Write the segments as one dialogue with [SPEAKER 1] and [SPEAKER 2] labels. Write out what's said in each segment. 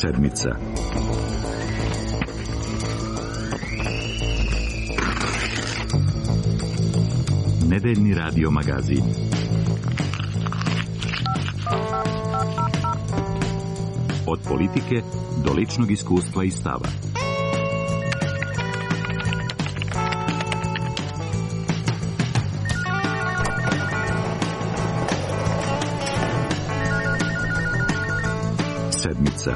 [SPEAKER 1] Sedmica. Nedeljni radio magazin. Od politike do ličnog iskustva i stava. Sedmica.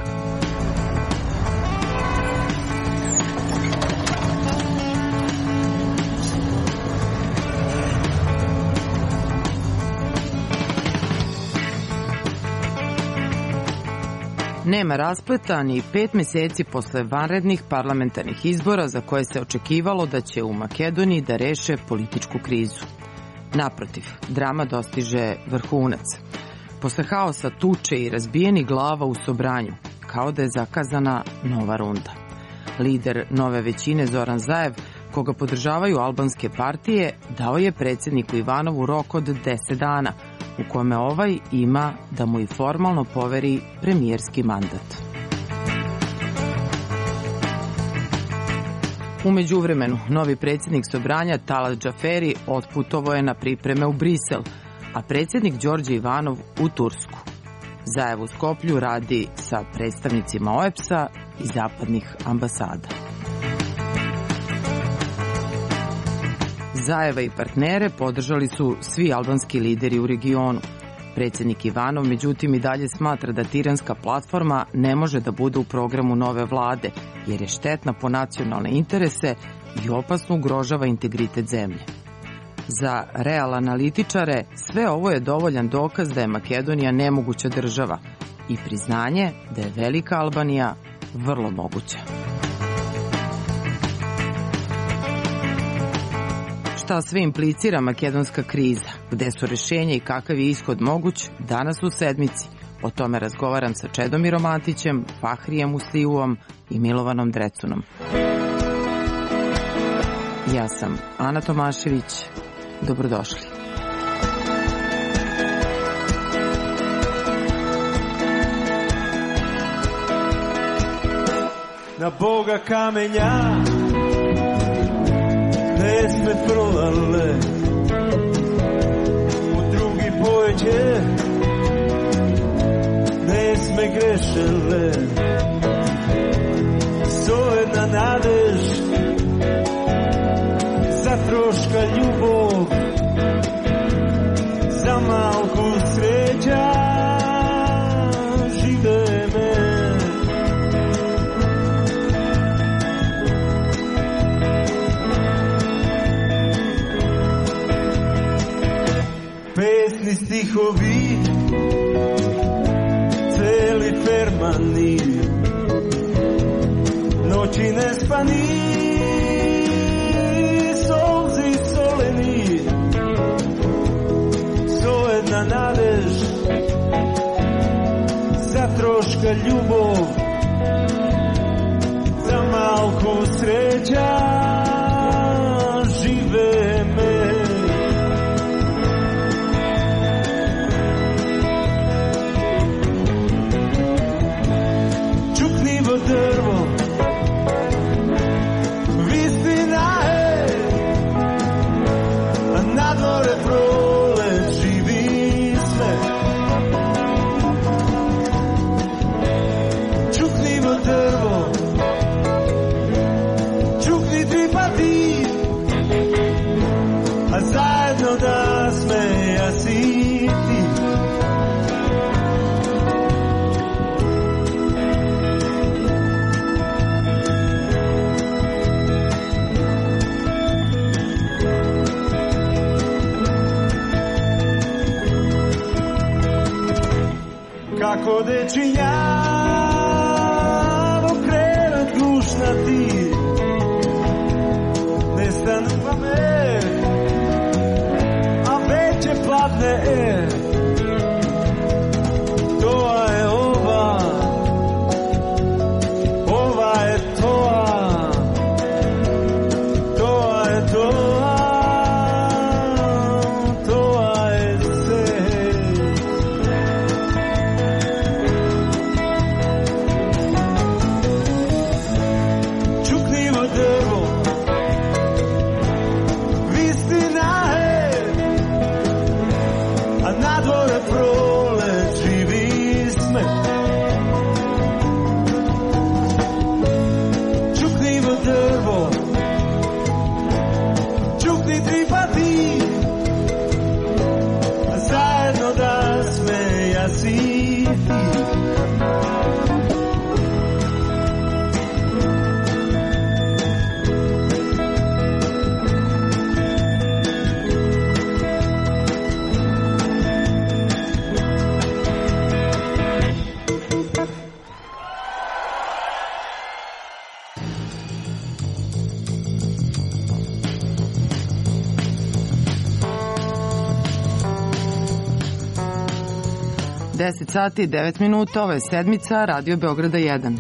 [SPEAKER 2] Nema raspleta ni 5 meseci posle vanrednih parlamentarnih izbora za koje se očekivalo da će u Makedoniji da reše političku krizu. Naprotiv, drama dostiže vrhunac. Posle haosa, tuče i razbijenih glava u Sobranju, kao da je zakazana nova runda. Lider nove većine Zoran Zaev, koga podržavaju albanske partije, dao je predsjedniku Ivanovu rok od 10 dana, u kome ovaj ima da mu i formalno poveri premijerski mandat. U međuvremenu, novi predsjednik Sobranja Talat Džaferi otputovao je na pripreme u Brisel, a predsjednik Đorđe Ivanov u Tursku. Zaev u Skoplju radi sa predstavnicima OEBS-a i zapadnih ambasada. Zaeva i partnere podržali su svi albanski lideri u regionu. Predsjednik Ivanov, međutim, i dalje smatra da tiranska platforma ne može da bude u programu nove vlade, jer je štetna po nacionalne interese i opasno ugrožava integritet zemlje. Za real analitičare sve ovo je dovoljan dokaz da je Makedonija nemoguća država i priznanje da je velika Albanija vrlo moguća. Šta sve implicira makedonska kriza, gde su rešenja i kakav je ishod moguć, danas u Sedmici. O tome razgovaram sa Čedomirom Antićem, Fahrijem Musliuom i Milovanom Drecunom. Ja sam Ana Tomašević. Dobrodošli.
[SPEAKER 3] Na Boga kamenja ne sme prolale, u drugi pojeđe ne sme grešele, sojedna nadež za troška ljubov, za malku sreća žive me. Pesni stihovi, celi fermani, noći nespani, solzi soleni, sojedna nadež za troška ljubov, za malku sreća žive me. Drvo, vistina je, a na dvore prole živi sve. Čuknivo drvo, čukni ti pa ti, a zajedno da smeja si ti. Kako dečinjavo krenut dušna ti, ne stanu pa me, a već je padne toa je ova, ova je toa, toa je toa, toa je se. dole prolet živi smeh. Čuknimo drvo, čukni tri pati, zajedno da smejasi ti.
[SPEAKER 2] Deset sati i 9 minuta, ovo je sedmica, Radio Beograda 1.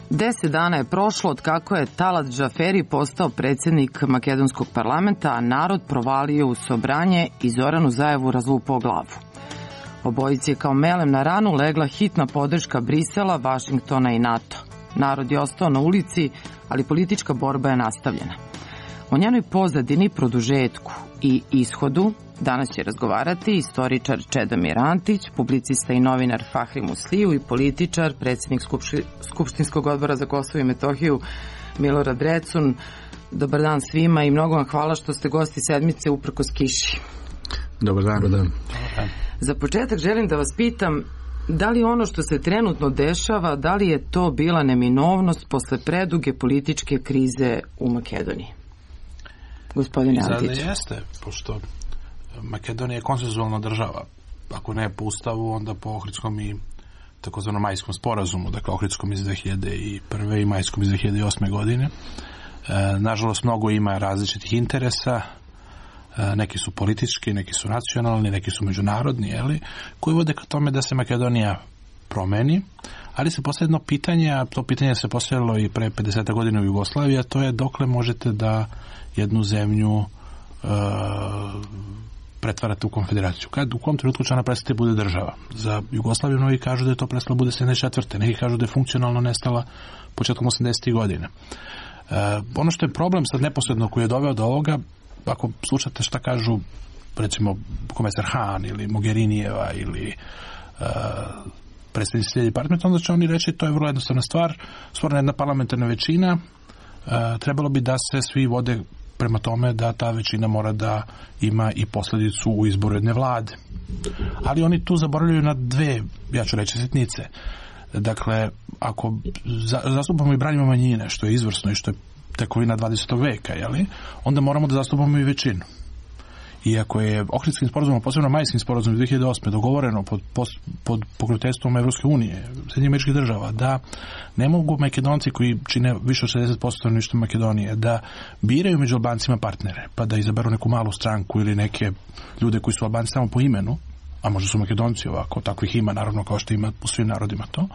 [SPEAKER 2] Deset dana je prošlo od kako je Talat Džaferi postao predsjednik makedonskog parlamenta, a narod provalio u Sobranje i Zoranu Zajevu razlupao glavu. Obojici je kao melem na ranu legla hitna podrška Brisela, Vašingtona i NATO. Narod je ostao na ulici, ali politička borba je nastavljena. O njenoj pozadini, produžetku i ishodu danas će razgovarati istoričar Čedomir Antić, publicista i novinar Fahri Musliju i političar, predsjednik Skupštinskog odbora za Kosovo i Metohiju Milorad Recun. Dobar dan svima i mnogo vam hvala što ste gosti sedmice uprkos kiši.
[SPEAKER 4] Dobar dan. Dobar dan.
[SPEAKER 2] Za početak želim da vas pitam, da li ono što se trenutno dešava, da li je to bila neminovnost posle preduge političke krize u Makedoniji? Gospodine Antić.
[SPEAKER 5] Sada jeste, pošto Makedonija je konsenzualna država. Ako ne po ustavu, onda po Ohridskom i takozvanom majskom sporazumu, dakle Ohridskom iz 2001. i majskom iz 2008. godine. Nažalost, mnogo ima različitih interesa, neki su politički, neki su nacionalni, neki su međunarodni, koji vode ka tome da se Makedonija promeni, ali se postavlja jedno pitanje, a to pitanje se postavljalo i pre 50 godina u Jugoslaviji, a to je dokle možete da jednu zemlju pretvarate u konfederaciju. U kom trenutku će ona prestati bude država? Za Jugoslaviju mnogi kažu da je to prestalo bude 74. Neki kažu da je funkcionalno nestala početkom 80. godina. Ono što je problem sad neposredno koji je doveo do ovoga, ako slušate šta kažu recimo komesar Han ili Mogherinijeva ili predstavnici Sjedinjenih partnera, onda će oni reći to je vrlo jednostavna stvar, stvorena jedna parlamentarna većina, trebalo bi da se svi vode prema tome da ta većina mora da ima i posljedicu u izboru jedne vlade. Ali oni tu zaboravljaju na dve, ja ću reći, sitnice. Dakle, ako zastupamo i branimo manjine, što je izvrsno i što je tekovina 20. veka, onda moramo da zastupamo i većinu. I ako je Ohridskim sporazumom, posebno Majskim sporazumom 2008. dogovoreno pod pokroviteljstvom Evropske unije, Sjedinjenih Američkih Država, da ne mogu Makedonci koji čine više od 60% stanovništva Makedonije da biraju među Albancima partnere, pa da izaberu neku malu stranku ili neke ljude koji su Albanci samo po imenu, a možda su Makedonci ovako, tako ih ima naravno kao što ima u svim narodima to,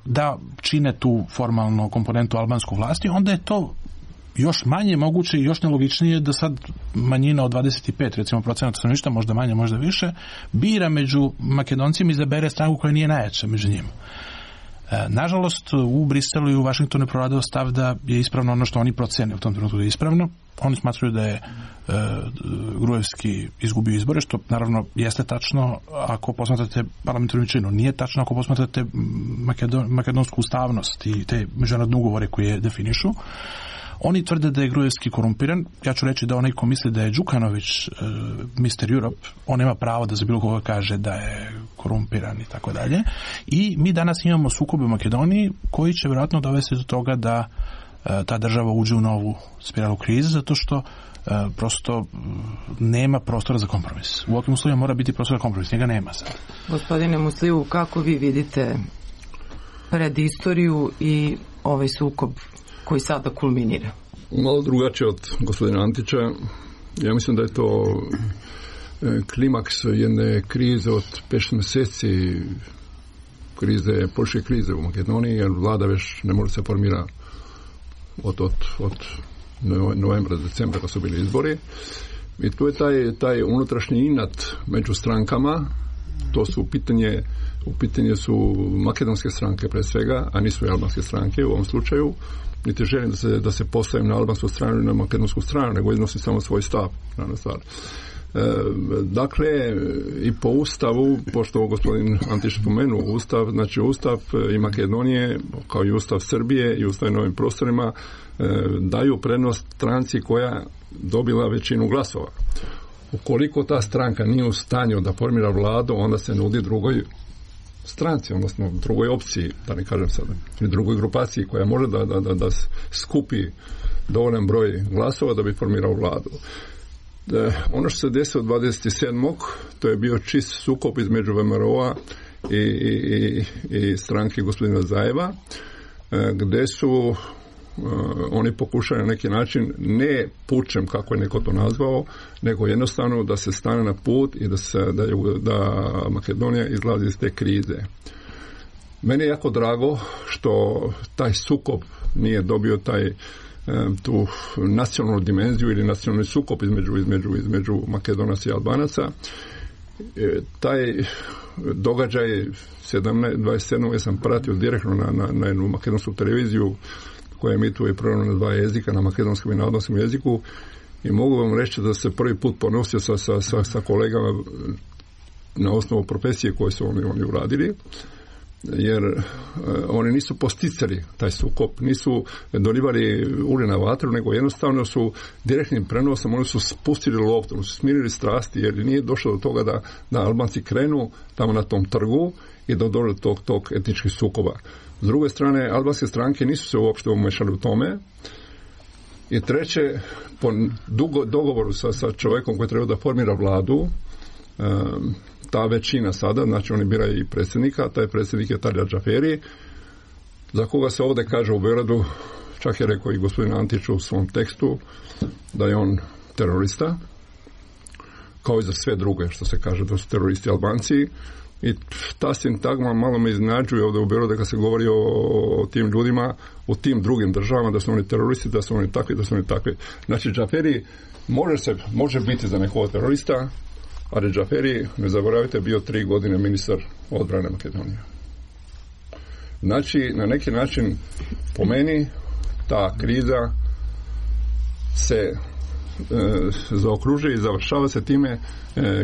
[SPEAKER 5] da čine tu formalnu komponentu albansku vlasti, onda je to još manje moguće i još nelogičnije da sad manjina od 25, recimo procenata stanovništva, možda manje, možda više, bira među Makedoncima i izabere stranku koja nije najjača među njima. Nažalost, u Briselu i u Vašingtonu je provladao stav da je ispravno ono što oni procene u tom trenutku da je ispravno. Oni smatruju da je Gruevski izgubio izbore, što naravno jeste tačno ako posmatrate parlamentarnu većinu. Nije tačno ako posmatrate makedonsku ustavnost i te međunarodne ugovore koje definišu. Oni tvrde da je Gruevski korumpiran. Ja ću reći da onaj ko misli da je Đukanović Mr. Europe, on nema pravo da za bilo koga kaže da je korumpiran i tako dalje. I mi danas imamo sukobe u Makedoniji koji će vjerojatno dovesti do toga da ta država uđe u novu spiralu krize, zato što prosto nema prostora za kompromis. U ovakvim uslovima mora biti prostor za kompromis, njega nema sad.
[SPEAKER 2] Gospodine Musliju, kako vi vidite predistoriju i ovaj sukob koji sada kulminira?
[SPEAKER 4] Malo drugačije od gospodina Antića. Ja mislim da je to klimaks jedne krize od 5 mjeseci, političke krize u Makedoniji, jer vlada već ne može se formira od novembra, decembra kad su bili izbori. I tu je taj unutrašnji inat među strankama. To su u pitanje su makedonske stranke pre svega, a nisu i albanske stranke u ovom slučaju. niti želim da se postavim na albansku stranu ili na makedonsku stranu, nego iznosim samo svoj stav na stvar. Dakle, i po Ustavu, pošto gospodin Antić spomenuo Ustav, znači Ustav i Makedonije, kao i Ustav Srbije i Ustav na ovim prostorima, daju prednost stranci koja dobila većinu glasova. Ukoliko ta stranka nije u stanju da formira vladu, onda se nudi drugoj stranci, odnosno drugoj opciji, da ne kažem sada, ili drugoj grupaciji koja može da skupi dovoljan broj glasova da bi formirao vladu. Ono što se desilo 27. to je bio čist sukob između VMRO-a i stranke gospodina Zajeva, gde su oni pokušali na neki način, ne pučem kako je neko to nazvao, nego jednostavno da se stane na put i da Makedonija izlazi iz te krize. Meni je jako drago što taj sukob nije dobio tu nacionalnu dimenziju ili nacionalni sukob između Makedonaca i Albanaca. Taj događaj 27. ja sam pratio direktno na jednu makedonsku televiziju koja emituje program na 2 jezika, na makedonskom i na albanskom jeziku, i mogu vam reći da se prvi put ponosio sa kolegama na osnovu profesije koje su oni uradili, jer oni nisu posticali taj sukob, nisu dolivali ulje na vatru, nego jednostavno su direktnim prenosom, oni su spustili loptu, oni su smirili strasti, jer nije došlo do toga da Albanci krenu tamo na tom trgu i da dođe do tog etničkih sukoba. S druge strane, albanske stranke nisu se uopšte umešali u tome. I treće, po dogovoru sa čovjekom koji treba da formira vladu, ta većina sada, znači oni biraju i predsjednika, taj predsjednik je Talja Džaferi, za koga se ovdje kaže u Beogradu, čak je rekao i gospodin Antić u svom tekstu, da je on terorista, kao i za sve druge, što se kaže da su teroristi Albanci. I ta sintagma malo me iznenađuje ovdje u Beogradu kad se govori o tim ljudima u tim drugim državama, da su oni teroristi, da su oni takvi. Znači, Džaferi može biti za nekog terorista, ali Džaferi, ne zaboravite, bio 3 godine ministar odbrane Makedonije. Znači, na neki način, po meni, ta kriza se zaokružuje i završava se time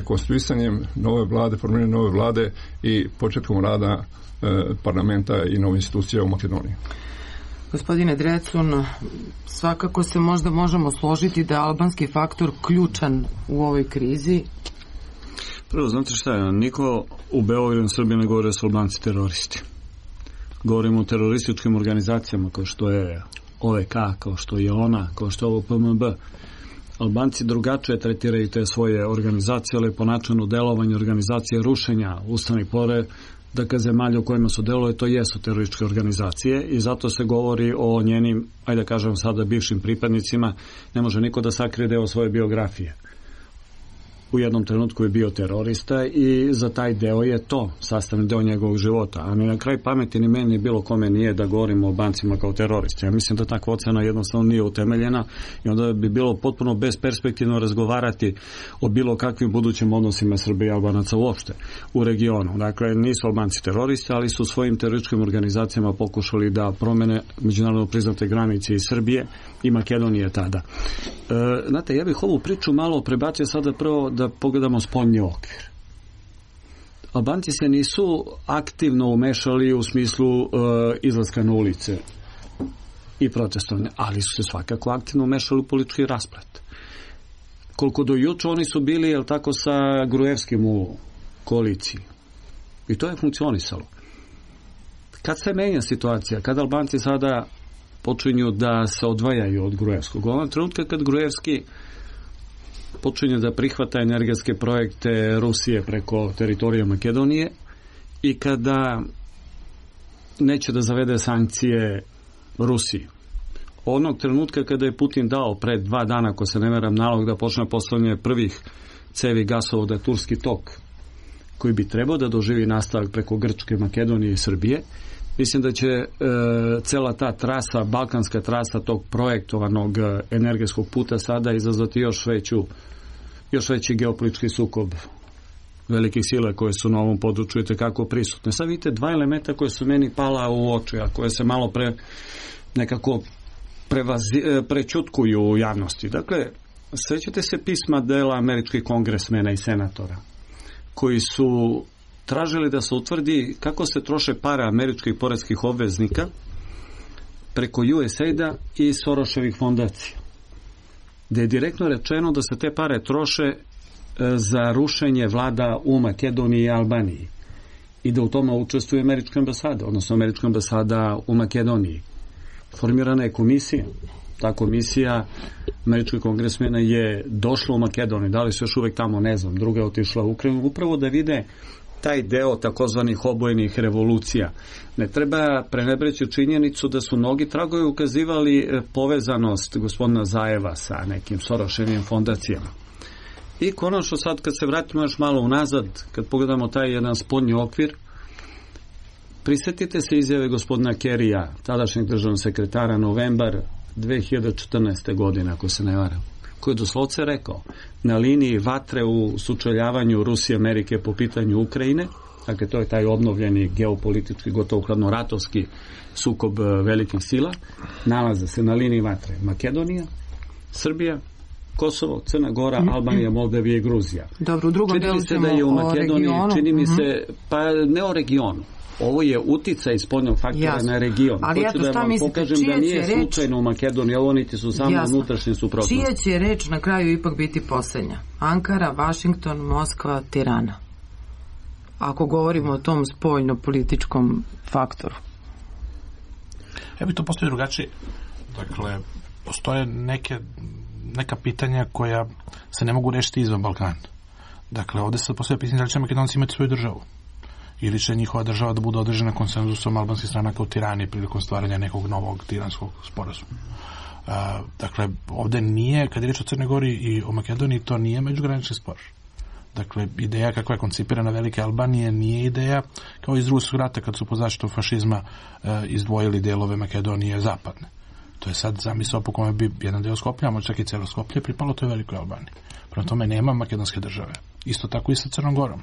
[SPEAKER 4] konstituisanjem nove vlade, formiranjem nove vlade i početkom rada parlamenta i nove institucije u Makedoniji.
[SPEAKER 2] Gospodine Drecun, svakako se možda možemo složiti da je albanski faktor ključan u ovoj krizi.
[SPEAKER 6] Prvo, znate šta je, niko u Beogradu i Srbiji ne govori da su Albanci teroristi. Govorimo o terorističkim organizacijama kao što je OVK, kao što je ona, kao što je ovo PMB. Albanci drugačije tretiraju te svoje organizacije, ali po načinu delovanja organizacije rušenja ustavnih poredaka zemalja u kojima su delovali, to jesu terorističke organizacije i zato se govori o njenim, ajde da kažem sada, bivšim pripadnicima. Ne može niko da sakrije deo svoje biografije. U jednom trenutku je bio terorista i za taj deo je to sastavni deo njegovog života. A ni na kraj pameti ni meni bilo kome nije da govorimo o Albancima kao teroristi. Ja mislim da takva ocena jednostavno nije utemeljena i onda bi bilo potpuno besperspektivno razgovarati o bilo kakvim budućim odnosima Srbije i Albanaca uopšte u regionu. Dakle, nisu Albanci teroristi, ali su svojim terorističkim organizacijama pokušali da promene međunarodno priznate granice iz Srbije i Makedonije tada. Znate, ja bih ovu priču malo prebacio sada prvo da pogledamo spoljni okvir. Albanci se nisu aktivno umešali u smislu izlaska na ulice i protestovanja, ali su se svakako aktivno umešali u politički rasplet. Koliko do juče oni su bili, jel tako, sa Gruevskim u koaliciji. I to je funkcionisalo. Kad se menja situacija, kad Albanci sada počinju da se odvajaju od Gruevskog, u ovom trenutka kad Gruevski počinje da prihvata energetske projekte Rusije preko teritorija Makedonije i kada neće da zavede sankcije Rusiji. Onog trenutka kada je Putin dao pred 2 dana, ako se ne veram, nalog da počne postavljanje prvih cevi gasovoda Turski tok, koji bi trebao da doživi nastavak preko Grčke, Makedonije i Srbije, mislim da će cela ta trasa, balkanska trasa tog projektovanog energetskog puta sada izazvati još veći geopolitički sukob velikih sila koje su na ovom području i tekako prisutne. Sad vidite 2 elementa koje su meni pala u oči, a koje se malo pre nekako prećutkuju u javnosti. Dakle, sećate se pisma dela američkih kongresmena i senatora koji su tražili da se utvrdi kako se troše pare američkih poreskih obveznika preko USAID-a i Soroševih fondacija, gde je direktno rečeno da se te pare troše za rušenje vlada u Makedoniji i Albaniji i da u tome učestvuje američka ambasada, odnosno američka ambasada u Makedoniji. Formirana je komisija. Ta komisija američkih kongresmena je došla u Makedoniju, da li su još uvek tamo, ne znam, druga je otišla u Ukrajinu, upravo da vide taj deo takozvanih obojenih revolucija. Ne treba prenebreći činjenicu da su mnogi tragovi ukazivali povezanost gospodina Zajeva sa nekim Soroševim fondacijama. I konačno sad kad se vratimo još malo unazad, kad pogledamo taj jedan spoljni okvir, prisetite se izjave gospodina Kerrya, tadašnjeg državnog sekretara, novembar 2014. godine, ako se ne varam, koji je doslovce rekao, na liniji vatre u sučeljavanju Rusije i Amerike po pitanju Ukrajine, dakle to je taj obnovljeni geopolitički, gotovo hladnoratovski sukob velikih sila, nalaze se na liniji vatre Makedonija, Srbija, Kosovo, Crna Gora, Albanija, Moldavija i Gruzija.
[SPEAKER 2] Dobro, u drugom delu ćemo o regionu.
[SPEAKER 6] Čini mi se, pa ne o regionu. Ovo je uticaj spoljnog faktora na region.
[SPEAKER 2] Ali
[SPEAKER 6] hoću da vam pokažem da nije slučajno u Makedoniji, ovo niti su samo unutrašnje suprotnosti.
[SPEAKER 2] Čija će reč na kraju ipak biti poslednja? Ankara, Vašington, Moskva, Tirana. Ako govorimo o tom spoljno-političkom faktoru.
[SPEAKER 5] Ja bi to postoji drugačije. Dakle, postoje neka pitanja koja se ne mogu rešiti izvan Balkana. Dakle, ovde se postoje pitanje da li će Makedonci imati svoju državu ili će njihova država da bude određena konsenzusom albanskih stranaka u Tirani prilikom stvaranja nekog novog tiranskog sporazuma. Dakle, ovde nije, kad je reč o Crnoj Gori i o Makedoniji, to nije međugranični spor. Dakle, ideja kakva je koncipirana Velike Albanije nije ideja kao iz Drugog svjetskog rata kad su po zaštitu fašizma izdvojili delove Makedonije zapadne. To je sad zamisao po kome bi jedan deo Skoplja, možda čak i celo Skoplje, pripalo toj Velikoj Albaniji. Prema tome nema makedonske države. Isto tako i sa Crnom Gorom.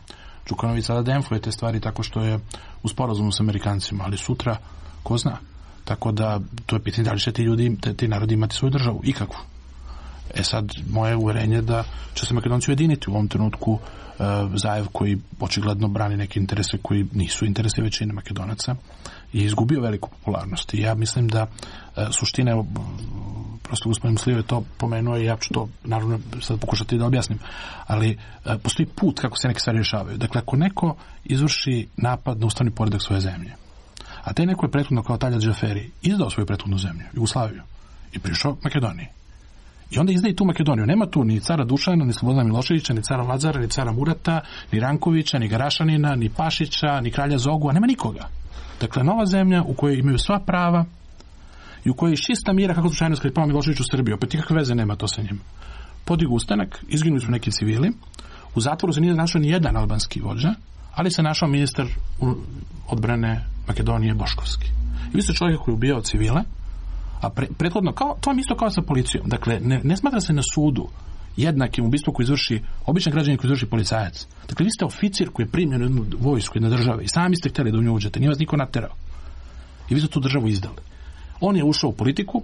[SPEAKER 5] Đukanović sada demfuje te stvari tako što je u sporazumu s Amerikancima, ali sutra, ko zna. Tako da, to je pitanje da li će ti ljudi, ti narodi imati svoju državu, ikakvu. Sad, moje uverenje da će se Makedonci ujediniti u ovom trenutku. Zajev koji očigledno brani neke interese koji nisu interese većine Makedonaca je izgubio veliku popularnost. I ja mislim da suština, prosto gospodin Muslijev je to pomenuo i ja ću to naravno sad pokušati da objasnim, ali postoji put kako se neke stvari rješavaju. Dakle, ako neko izvrši napad na ustavni poredak svoje zemlje, a taj neko je prethodno kao Taljat Džaferi izdao svoju prethodnu zemlju, Jugoslaviju, i prišao Makedoniji. I onda izdaje tu Makedoniju. Nema tu ni cara Dušana, ni Slobodana Miloševića, ni cara Lazara, ni cara Murata, ni Rankovića, ni Garašanina, ni Pašića, ni kralja Zogua. Nema nikoga. Dakle, nova zemlja u kojoj imaju sva prava i u kojoj je čista mira kako slučajno kad je pao Milošević u Srbiju. Opet nikakve veze nema to sa njim. Podigu ustanak, izginuli su neki civili. U zatvoru se nije našao ni jedan albanski vođa, ali se našao ministar odbrane Makedonije Boškovski. I vi ste čovjek koji je ubijao civile, a prethodno, to vam isto kao sa policijom. Dakle, ne smatra se na sudu jednakim ubistvom koji izvrši običan građanin koji izvrši policajac. Dakle, vi ste oficir koji je primljen u jednu vojsku, jedne države i sami ste htjeli da u nju uđete, nije vas niko naterao. I vi ste tu državu izdali. On je ušao u politiku,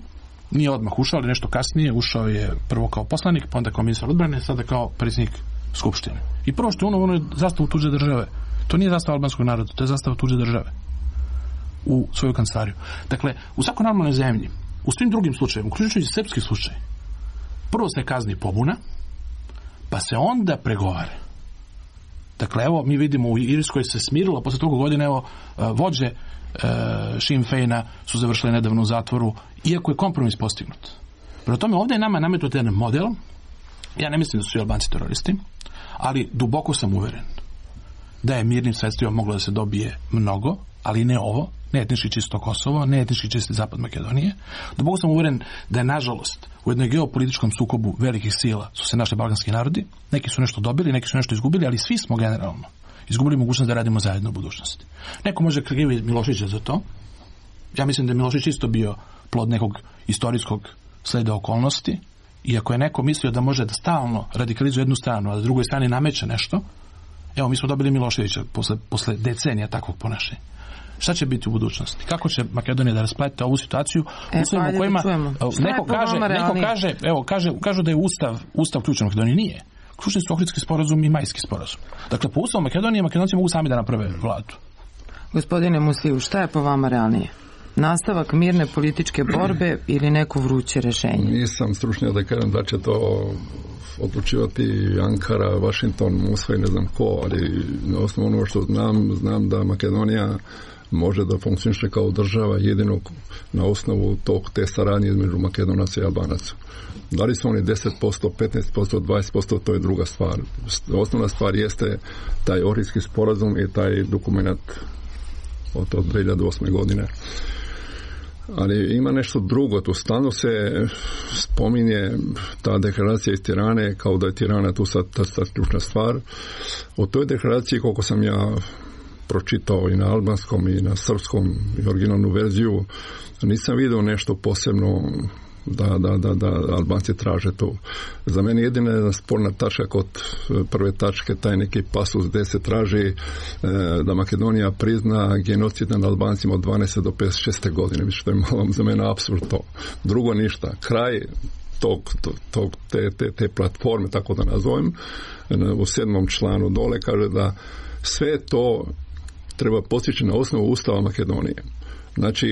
[SPEAKER 5] nije odmah ušao, ali nešto kasnije, ušao je prvo kao poslanik, pa onda kao ministar odbrane, sada kao predsjednik skupštine. I prvo što je ono je zastavu tuđe države. To nije zastava albanskog naroda, to je zastava tuđe države u svoju kancelariju. Dakle, u svakoj normalnoj zemlji, u svim drugim slučajevima, uključujući srpski slučaj, prvo se kazni pobuna, pa se onda pregovara. Dakle, evo, mi vidimo u Irskoj se smirilo, posle toga godine, evo, vođe Sinn Feina su završili nedavno u zatvoru, iako je kompromis postignut. Prema tome, ovdje je nama nametnut jedan model, ja ne mislim da su i Albanci teroristi, ali duboko sam uveren da je mirnim sredstvima moglo da se dobije mnogo, ali ne ovo, ne etnički čisto Kosovo, ne etnički čisti zapad Makedonije. Duboko sam uveren da je, nažalost, u jednoj geopolitičkom sukobu velikih sila su se našli balkanski narodi, neki su nešto dobili, neki su nešto izgubili, ali svi smo generalno izgubili mogućnost da radimo zajedno u budućnosti. Neko može kriviti Miloševića za to. Ja mislim da je Milošević isto bio plod nekog istorijskog sleda okolnosti, i ako je neko mislio da može da stalno radikalizuje jednu stranu, a da drugoj strani nameće nešto, evo, mi smo dobili Miloševića posle decenija takvog ponašanja. Šta će biti u budućnosti? Kako će Makedonija da rasplete ovu situaciju u svojim u kojima kažu da je ustav ključan u Makedoniji? Nije. Ključni su Ohridski sporazum i Majski sporazum. Dakle, po ustavu Makedonije, Makedonci mogu sami da naprave vladu.
[SPEAKER 2] Gospodine Musliju, šta je po vama realnije? Nastavak mirne političke borbe ili neko vruće rešenje?
[SPEAKER 4] Nisam stručnjak da kažem da će to odlučivati Ankara, Washington, Moskva i ne znam ko, ali na osnovu onoga što znam da Makedonija može da funkcioniše kao država jedino na osnovu te saradnje između Makedonaca i Albanaca. Da li su oni 10%, 15%, 20%, to je druga stvar. Osnovna stvar jeste taj Ohridski sporazum i taj dokument od 2008. godine. Ali ima nešto drugo, tu stalno se spominje ta deklaracija iz Tirane, kao da je Tirana tu sad ta ključna stvar. O toj deklaraciji, koliko sam ja pročitao i na albanskom i na srpskom i originalnu verziju, nisam vidio nešto posebno da Albanci traže to. Za mene jedina jedna sporna tačka kod prve tačke, taj neki pasus gdje se traži da Makedonija prizna genocid nad Albancima od 12. do 56. godine. Mislim što je malo za mene apsurd to. Drugo ništa. Kraj te platforme, tako da nazovem, u 7. članu dole kaže da sve to treba postići na osnovu Ustava Makedonije. Znači,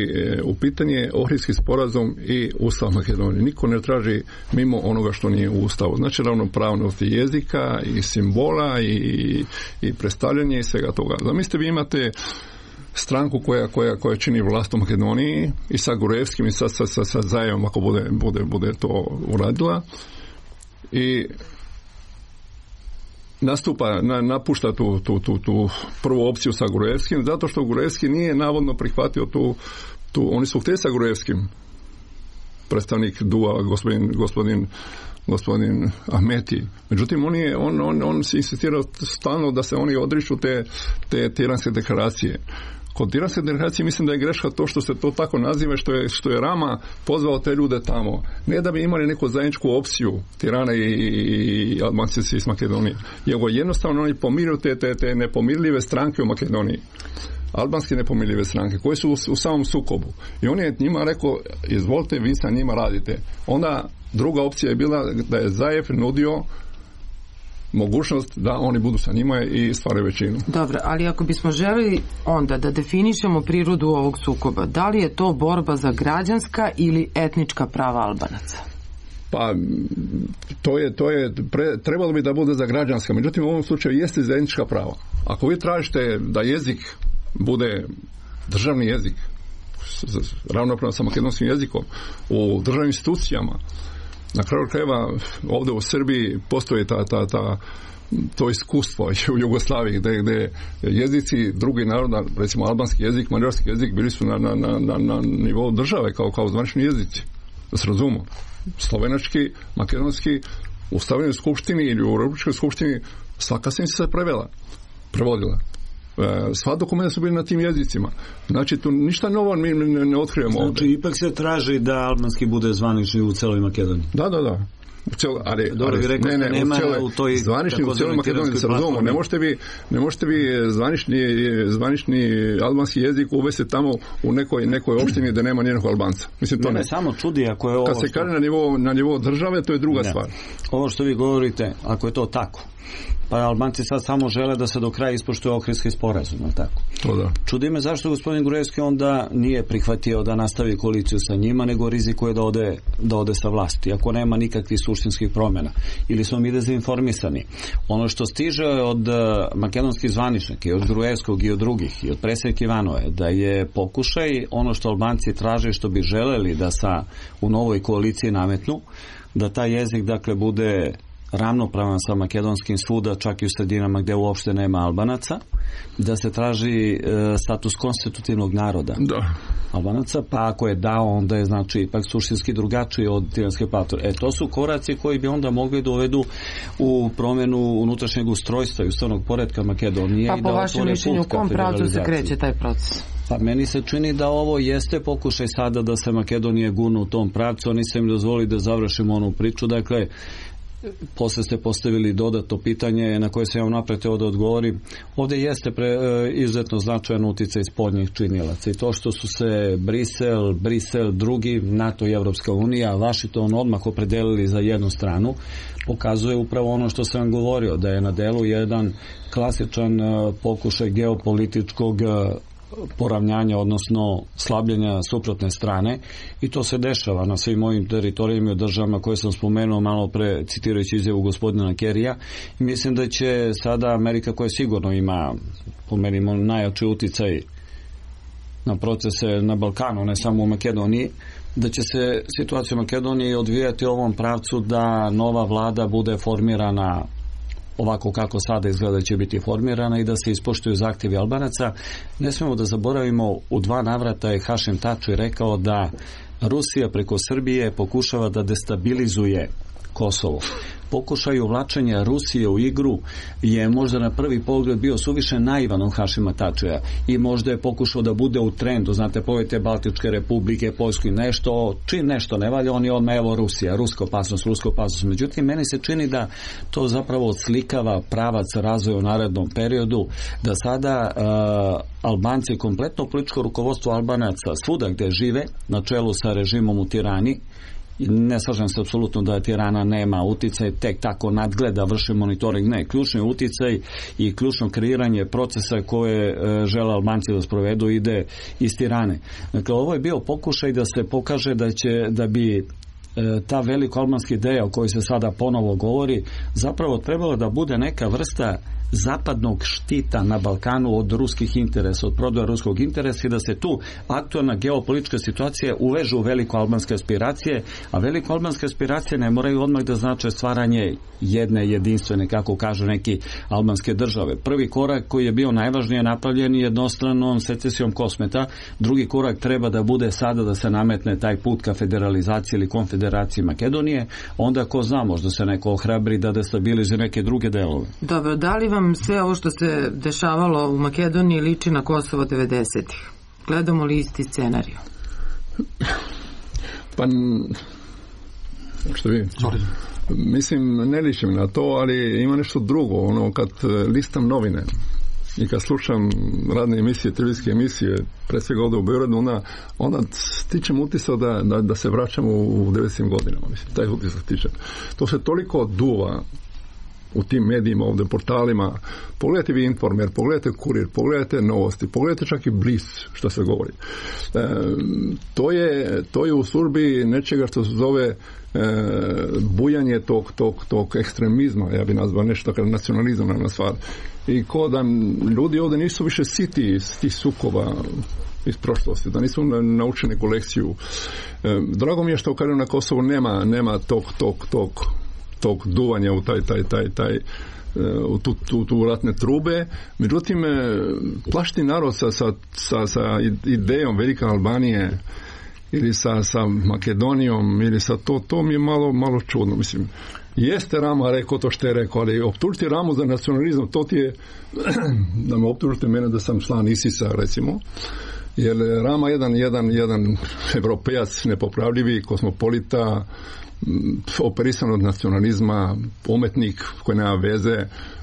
[SPEAKER 4] u pitanje je Ohridski sporazum i Ustav Makedonije. Niko ne traži mimo onoga što nije u Ustavu. Znači, ravnopravnost i jezika i simbola i predstavljanje i svega toga. Zamislite, vi imate stranku koja čini vlast u Makedoniji i sa Gruevskim i sa Zajevom, ako bude to uradila, i napušta tu prvu opciju sa Gruevskim, zato što Gruevski nije navodno prihvatio oni su htjeli sa Gruevskim, predstavnik DUA, gospodin Ahmeti. Međutim, on se insistirao stalno da se oni odriču te tiranske deklaracije. Kod tiranske deklaracije mislim da je greška to što se to tako naziva, što je Rama pozvao te ljude tamo. Ne da bi imali neku zajedničku opciju Tirana i Albanci iz Makedonije. Jego jednostavno oni pomiruju te nepomirljive stranke u Makedoniji. Albanske nepomirljive stranke koje su u samom sukobu. I on je njima rekao, izvolite, vi sa njima radite. Onda druga opcija je bila da je Zajev nudio mogućnost da oni budu sa njima i stvaraju većinu.
[SPEAKER 2] Dobro, ali ako bismo želeli onda da definišemo prirodu ovog sukoba, da li je to borba za građanska ili etnička prava Albanaca?
[SPEAKER 4] Pa, trebalo bi da bude za građanska, međutim u ovom slučaju jeste za etnička prava. Ako vi tražite da jezik bude državni jezik, ravnopravno sa makedonskim jezikom, u državnim institucijama, na kraju krajeva ovdje u Srbiji postoji to iskustvo u Jugoslaviji gdje jezici drugih naroda, recimo albanski jezik, mađarski jezik, bili su na nivou države kao zvanični jezici. Da se razumemo. Slovenački, makedonski, u Stavljenoj skupštini ili u Republičkoj skupštini svaka se prevodila. Sva dokumenta su bili na tim jezicima. Znači, tu ništa novo mi ne otkrivamo ovdje.
[SPEAKER 6] Znači, ipak se traži da albanski bude zvanični u celoj Makedoniji.
[SPEAKER 4] Da. Zvanični u cijeloj Makedoniji se razumemo. Ne možete vi zvanični albanski jezik uvesti tamo u nekoj opštini da nema nijednog Albanca. Mislim, to ne.
[SPEAKER 6] Samo čudi ako je ovo...
[SPEAKER 4] Kad se kaže na nivou države, to je druga stvar.
[SPEAKER 6] Ovo što vi govorite, ako je to tako, pa Albanci sad samo žele da se do kraja ispoštuje Ohridski sporazum, tako?
[SPEAKER 4] To da.
[SPEAKER 6] Čudi me zašto gospodin Gruevski onda nije prihvatio da nastavi koaliciju sa njima, nego rizikuje da ode sa vlasti, ako nema nikakvih suštinskih promjena. Ili smo mi dezinformisani. Ono što stiže od makedonskih zvaničnika i od Gruevskog i od drugih i od predsjednika Ivanove, da je pokušaj ono što Albanci traže, što bi želeli da u novoj koaliciji nametnu, da taj jezik dakle bude ravnopravan sa makedonskim svuda, čak i u sredinama gdje uopšte nema Albanaca, da se traži status konstitutivnog naroda Albanaca, pa ako je dao, onda je znači ipak suštinski drugačiji od tiranske platforme. To su koraci koji bi onda mogli dovedu u promjenu unutrašnjeg ustrojstva i ustavnog poretka Makedonije.
[SPEAKER 2] Pa po vašem mišljenju, u kom pravcu se kreće taj proces?
[SPEAKER 6] Pa meni se čini da ovo jeste pokušaj sada da se Makedonije gurnu u tom pravcu, oni se im dozvoli da završimo onu priču, dakle posle ste postavili dodatno pitanje na koje sam ja unapred teo da odgovorim. Ovde jeste izuzetno značajan uticaj spoljnih činilaca i to što su se Brisel, drugi, NATO i Evropska unija, Washington odmah opredelili za jednu stranu, pokazuje upravo ono što sam govorio, da je na delu jedan klasičan pokušaj geopolitičkog poravnjanja, odnosno slabljenja suprotne strane, i to se dešava na svim ovim teritorijama i državama koje sam spomenuo malo pre, citirajući izjavu gospodina Kerija, i mislim da će sada Amerika, koja sigurno ima po meni najjači uticaj na procese na Balkanu, ne samo u Makedoniji, da će se situacija u Makedoniji odvijati u ovom pravcu da nova vlada bude formirana ovako kako sada izgleda će biti formirana i da se ispoštuju zahtjevi Albanaca. Ne smemo da zaboravimo, u 2 navrata je Hašim Tači rekao da Rusija preko Srbije pokušava da destabilizuje Kosovo. Pokušaj uvlačenja Rusije u igru je možda na prvi pogled bio suviše naivan od Hašima Tačija i možda je pokušao da bude u trendu, znate, pojete Baltičke republike, Poljsku i nešto, čim nešto ne valja, on je odmah, evo Rusija, ruska opasnost. Međutim, meni se čini da to zapravo odslikava pravac razvoja u narednom periodu, da sada Albanci, kompletno političko rukovodstvo Albanaca svuda gde žive, na čelu sa režimom u Tirani, ne slažem se apsolutno da Tirana nema uticaj, tek tako nadgleda, vrši monitoring, ne, ključni uticaj i ključno kreiranje procesa koje žele Albanci da sprovedu ide iz Tirane. Dakle, ovo je bio pokušaj da se pokaže da bi ta veliko albanska ideja o kojoj se sada ponovo govori zapravo trebala da bude neka vrsta zapadnog štita na Balkanu od ruskih interesa, od prodaja ruskog interesa, i da se tu aktualna geopolitička situacija uveže u veliko albanske aspiracije, a veliko albanske aspiracije ne moraju odmah da znače stvaranje jedne jedinstvene, kako kažu neki, albanske države. Prvi korak koji je bio najvažnije napravljen jednostranom secesijom Kosmeta, drugi korak treba da bude sada da se nametne taj put ka federalizaciji ili konfederaciji Makedonije, onda ko zna, možda se neko ohrabri da destabilizuje neke druge delove.
[SPEAKER 2] Dobro, da li vam sve ovo što se dešavalo u Makedoniji liči na Kosovo 90-ih? Gledamo li isti scenarij?
[SPEAKER 4] Pa, što vi? Mislim, ne ličim na to, ali ima nešto drugo. Ono, kad listam novine i kad slušam radne emisije, televizijske emisije, pre svega ovdje u Beogradu, onda stičem utisak da se vraćamo u 90. godinama. Mislim, taj utisak stičem. To se toliko duva u tim medijima, ovdje portalima. Pogledajte vi Informer, pogledajte Kurir, pogledajte Novosti, pogledajte čak i Blic što se govori. To je u službi nečega što se zove bujanje tog ekstremizma, ja bi nazvao nešto kao nacionalizam na stvar. I ko da ljudi ovdje nisu više siti tih sukoba iz prošlosti, da nisu naučili neku lekciju. Drago mi je što kažem na Kosovu nema tog duvanja u u tu ratne trube. Međutim, plašti narod sa idejom Velike Albanije ili sa Makedonijom ili sa to mi je malo čudno. Mislim, jeste Rama rekao to što je rekao, ali optužiti Ramu za nacionalizam, to ti je da me optužite mene da sam član ISIS-a, recimo, jer Rama jedan evropejac nepopravljivi, kosmopolita, operisan od nacionalizma, umetnik koji nema veze.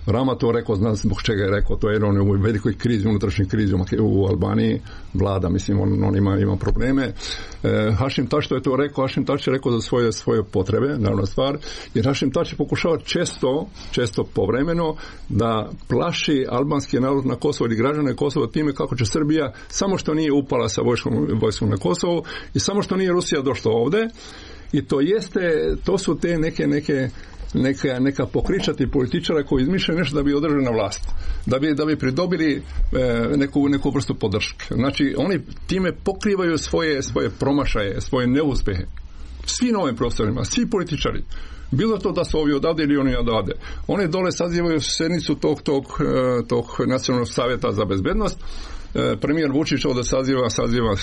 [SPEAKER 4] Rama to rekao, zna zbog čega je rekao, to je on u velikoj krizi, unutrašnjoj krizi u Albaniji vlada, mislim, on ima probleme. Hašim Tači to je to rekao, Hašim Tači je rekao za svoje potrebe, naravno stvar, jer Hašim Tači pokušava često povremeno da plaši albanski narod na Kosovo ili građane Kosova time kako će Srbija, samo što nije upala sa vojskom na Kosovo i samo što nije Rusija došla ovde. I to su te neka pokričati političara koji izmišljaju nešto da bi održali na vlast, da bi pridobili neku vrstu podrške. Znači, oni time pokrivaju svoje promašaje, svoje neuspehe. Svi na ovim prostorima, svi političari, bilo to da su ovi odavde ili oni odavde, oni dole sazivaju sednicu tog Nacionalnog savjeta za bezbednost. Premijer Vučić ovdje saziva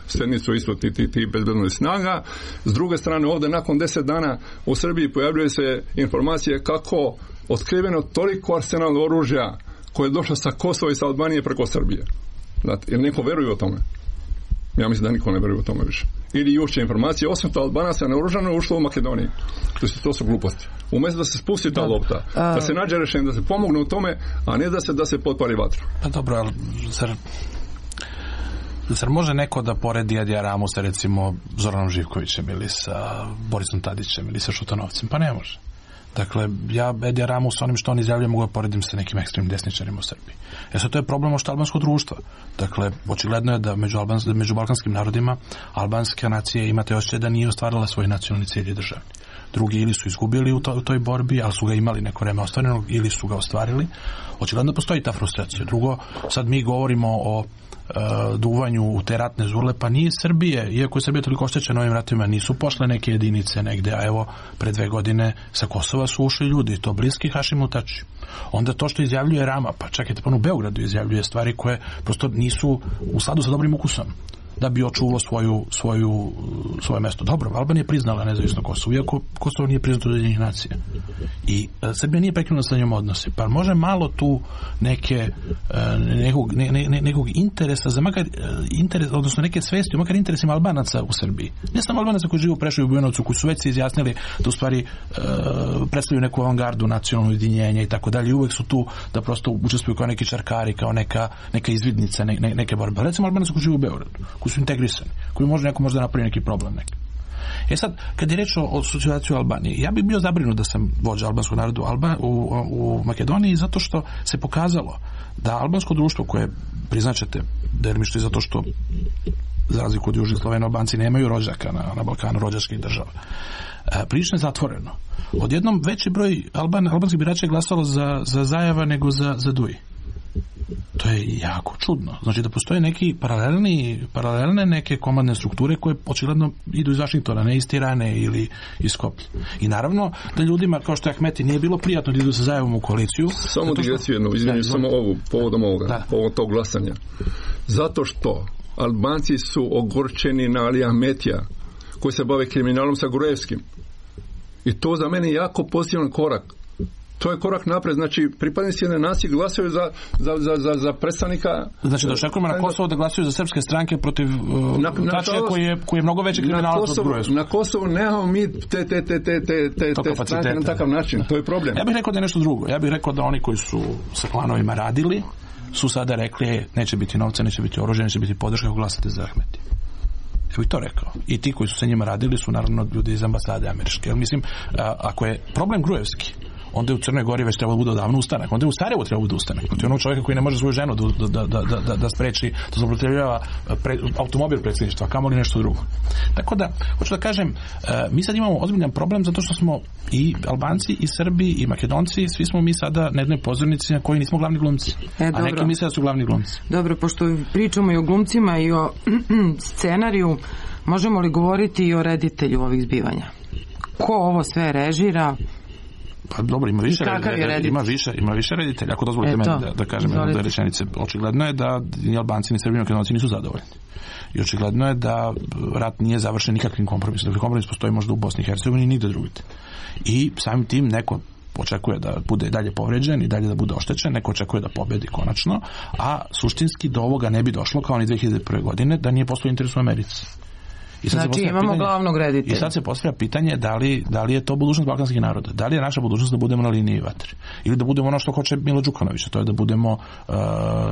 [SPEAKER 4] sednicu isto ti bezbednosnih snaga. S druge strane, ovdje nakon 10 dana u Srbiji pojavljuje se informacije kako otkriveno toliko arsenal oružja koje je došlo sa Kosova i sa Albanije preko Srbije. Znate, jer neko veruje o tome? Ja mislim da niko ne veruje o tome više. ili jučer informacije, 800 Albanaca naoružano ušlo u Makedoniji. To su gluposti. Umjesto da se spusti ta lopta, da se nađe rješenje, da se pomogne u tome, a ne da se potpali vatru.
[SPEAKER 5] Pa dobro, ali zar može neko da poredi Edija Ramu sa recimo Zoranom Živkovićem ili sa Borisom Tadićem ili sa Šutanovcem? Pa ne može. Dakle, ja Edija Ramu s onim što on izjavljuje mogu da poredim sa nekim ekstremnim desničarima u Srbiji. Sad to je problem ošto albanskog društva. Dakle, očigledno je da među balkanskim narodima albanska nacija ima te osjećaj da nije ostvarila svoj nacionalni cilj i državni. Drugi ili su izgubili u toj borbi, ali su ga imali neko vreme ostvarenog, ili su ga ostvarili. Očigledno postoji ta frustracija. Drugo, sad mi govorimo o duvanju u te ratne zurle, pa nije Srbije, iako je Srbija toliko oštećena ovim ratovima, nisu pošle neke jedinice negde, a evo, pre 2 godine sa Kosova su ušli ljudi, to bliski Hašimu Tači. Onda to što izjavljuje Rama, pa čekajte, pa u Beogradu izjavljuje stvari koje prosto nisu u skladu sa dobrim ukusom, da bi očuvalo svoje mesto. Dobro, Albanija je priznala nezavisno Kosovo, iako Kosovo nije priznato od Ujedinjenih nacija. I Srbija nije prekinula sa njom odnose. Pa može malo tu nekog interesa, za makar interes, odnosno neke svesti, makar interesima Albanaca u Srbiji. Ne samo Albanaca koji žive u Preševu i Bujanovcu, koji su već se izjasnili da u stvari predstavljaju neku avangardu nacionalno ujedinjenje i tako dalje. Uvek su tu da prosto učestvuju kao neki čarkari, kao neka izvidnica, neke borbe. Recimo Albanaca koji žive u Beogradu, koji su integrisani, koji neko može da napravi neki problem neki. Sad, kad je reč o situaciji u Albaniji, ja bih bio zabrinut da sam vođa albanskog naroda u Makedoniji, zato što se pokazalo da albansko društvo koje, priznaćete, delimično i zato što za razliku od Južnih Slovena, Albanci nemaju rođaka na Balkanu, rođačkih država, prilično je zatvoreno. Odjednom veći broj albanskih birača je glasalo za Zajeva nego za Duji. To je jako čudno. Znači da postoje neki paralelne neke komandne strukture koje očigledno idu iz Vašingtona, ne iz Tirane ili iz Skoplja. I naravno da ljudima kao što je Ahmeti nije bilo prijatno da idu sa Zajevom u koaliciju.
[SPEAKER 4] Samo digresiju jednu, izvinim samo povodom ovoga, povodom tog glasanja. Zato što Albanci su ogorčeni na Ali Ahmetija koji se bave kriminalom sa Gruevskim. I to za mene je jako pozitivan korak. To je korak napred, znači pripadnici jedne nacije glasaju za predstavnika. Znači
[SPEAKER 5] da očekujemo na Kosovo da glasuju za srpske stranke protiv Tačija koji je mnogo veći kriminalac od Gruevskog.
[SPEAKER 4] Na Kosovo nemamo mi te stranke na takav način, to je problem.
[SPEAKER 5] Ja bih rekao da je nešto drugo. Ja bih rekao da oni koji su sa klanovima radili su sada rekli neće biti novca, neće biti oružja, neće biti podrška ako glasate za Ahmeti. Ja bih to rekao. I ti koji su sa njima radili su naravno ljudi iz ambasade američke. Jer mislim, ako je problem Gruevski, onda je u Crnoj Gori već trebalo bude odavno ustanak. Onda je u Sarajevu trebalo bude ustanak. To je onog čovjeka koji ne može svoju ženu da spreči, da zloupotrebljava automobil predsjedništva, kamoli nešto drugo. Tako da, hoću da kažem, mi sad imamo ozbiljan problem zato što smo i Albanci, i Srbi, i Makedonci, svi smo mi sada na jednoj pozornici na kojoj nismo glavni glumci. A neki misle da su glavni glumci.
[SPEAKER 2] Dobro, pošto pričamo i o glumcima i o scenariju, možemo li govoriti i o reditelju ovih zbivanja? Ko ovo sve režira?
[SPEAKER 5] Pa dobro, ima više reditelja. Ako dozvolite meni da kažem jednu od rečenice, očigledno je da ni Albanci ni Srbi ni Makedonci nisu zadovoljni. I očigledno je da rat nije završen nikakvim kompromisom. Dakle, kompromis postoji možda u Bosni i Hercegovini i nigde drugdje. I samim tim neko očekuje da bude dalje povređen i dalje da bude oštećen, neko očekuje da pobedi konačno, a suštinski do ovoga ne bi došlo kao ni 2001. godine da nije postojao interes u Americi.
[SPEAKER 2] Znači imamo glavnog reditelja.
[SPEAKER 5] I sad se postavlja pitanje da li je to budućnost balkanskih naroda. Da li je naša budućnost da budemo na liniji vatre? Ili da budemo ono što hoće Milo Đukanović, to je da budemo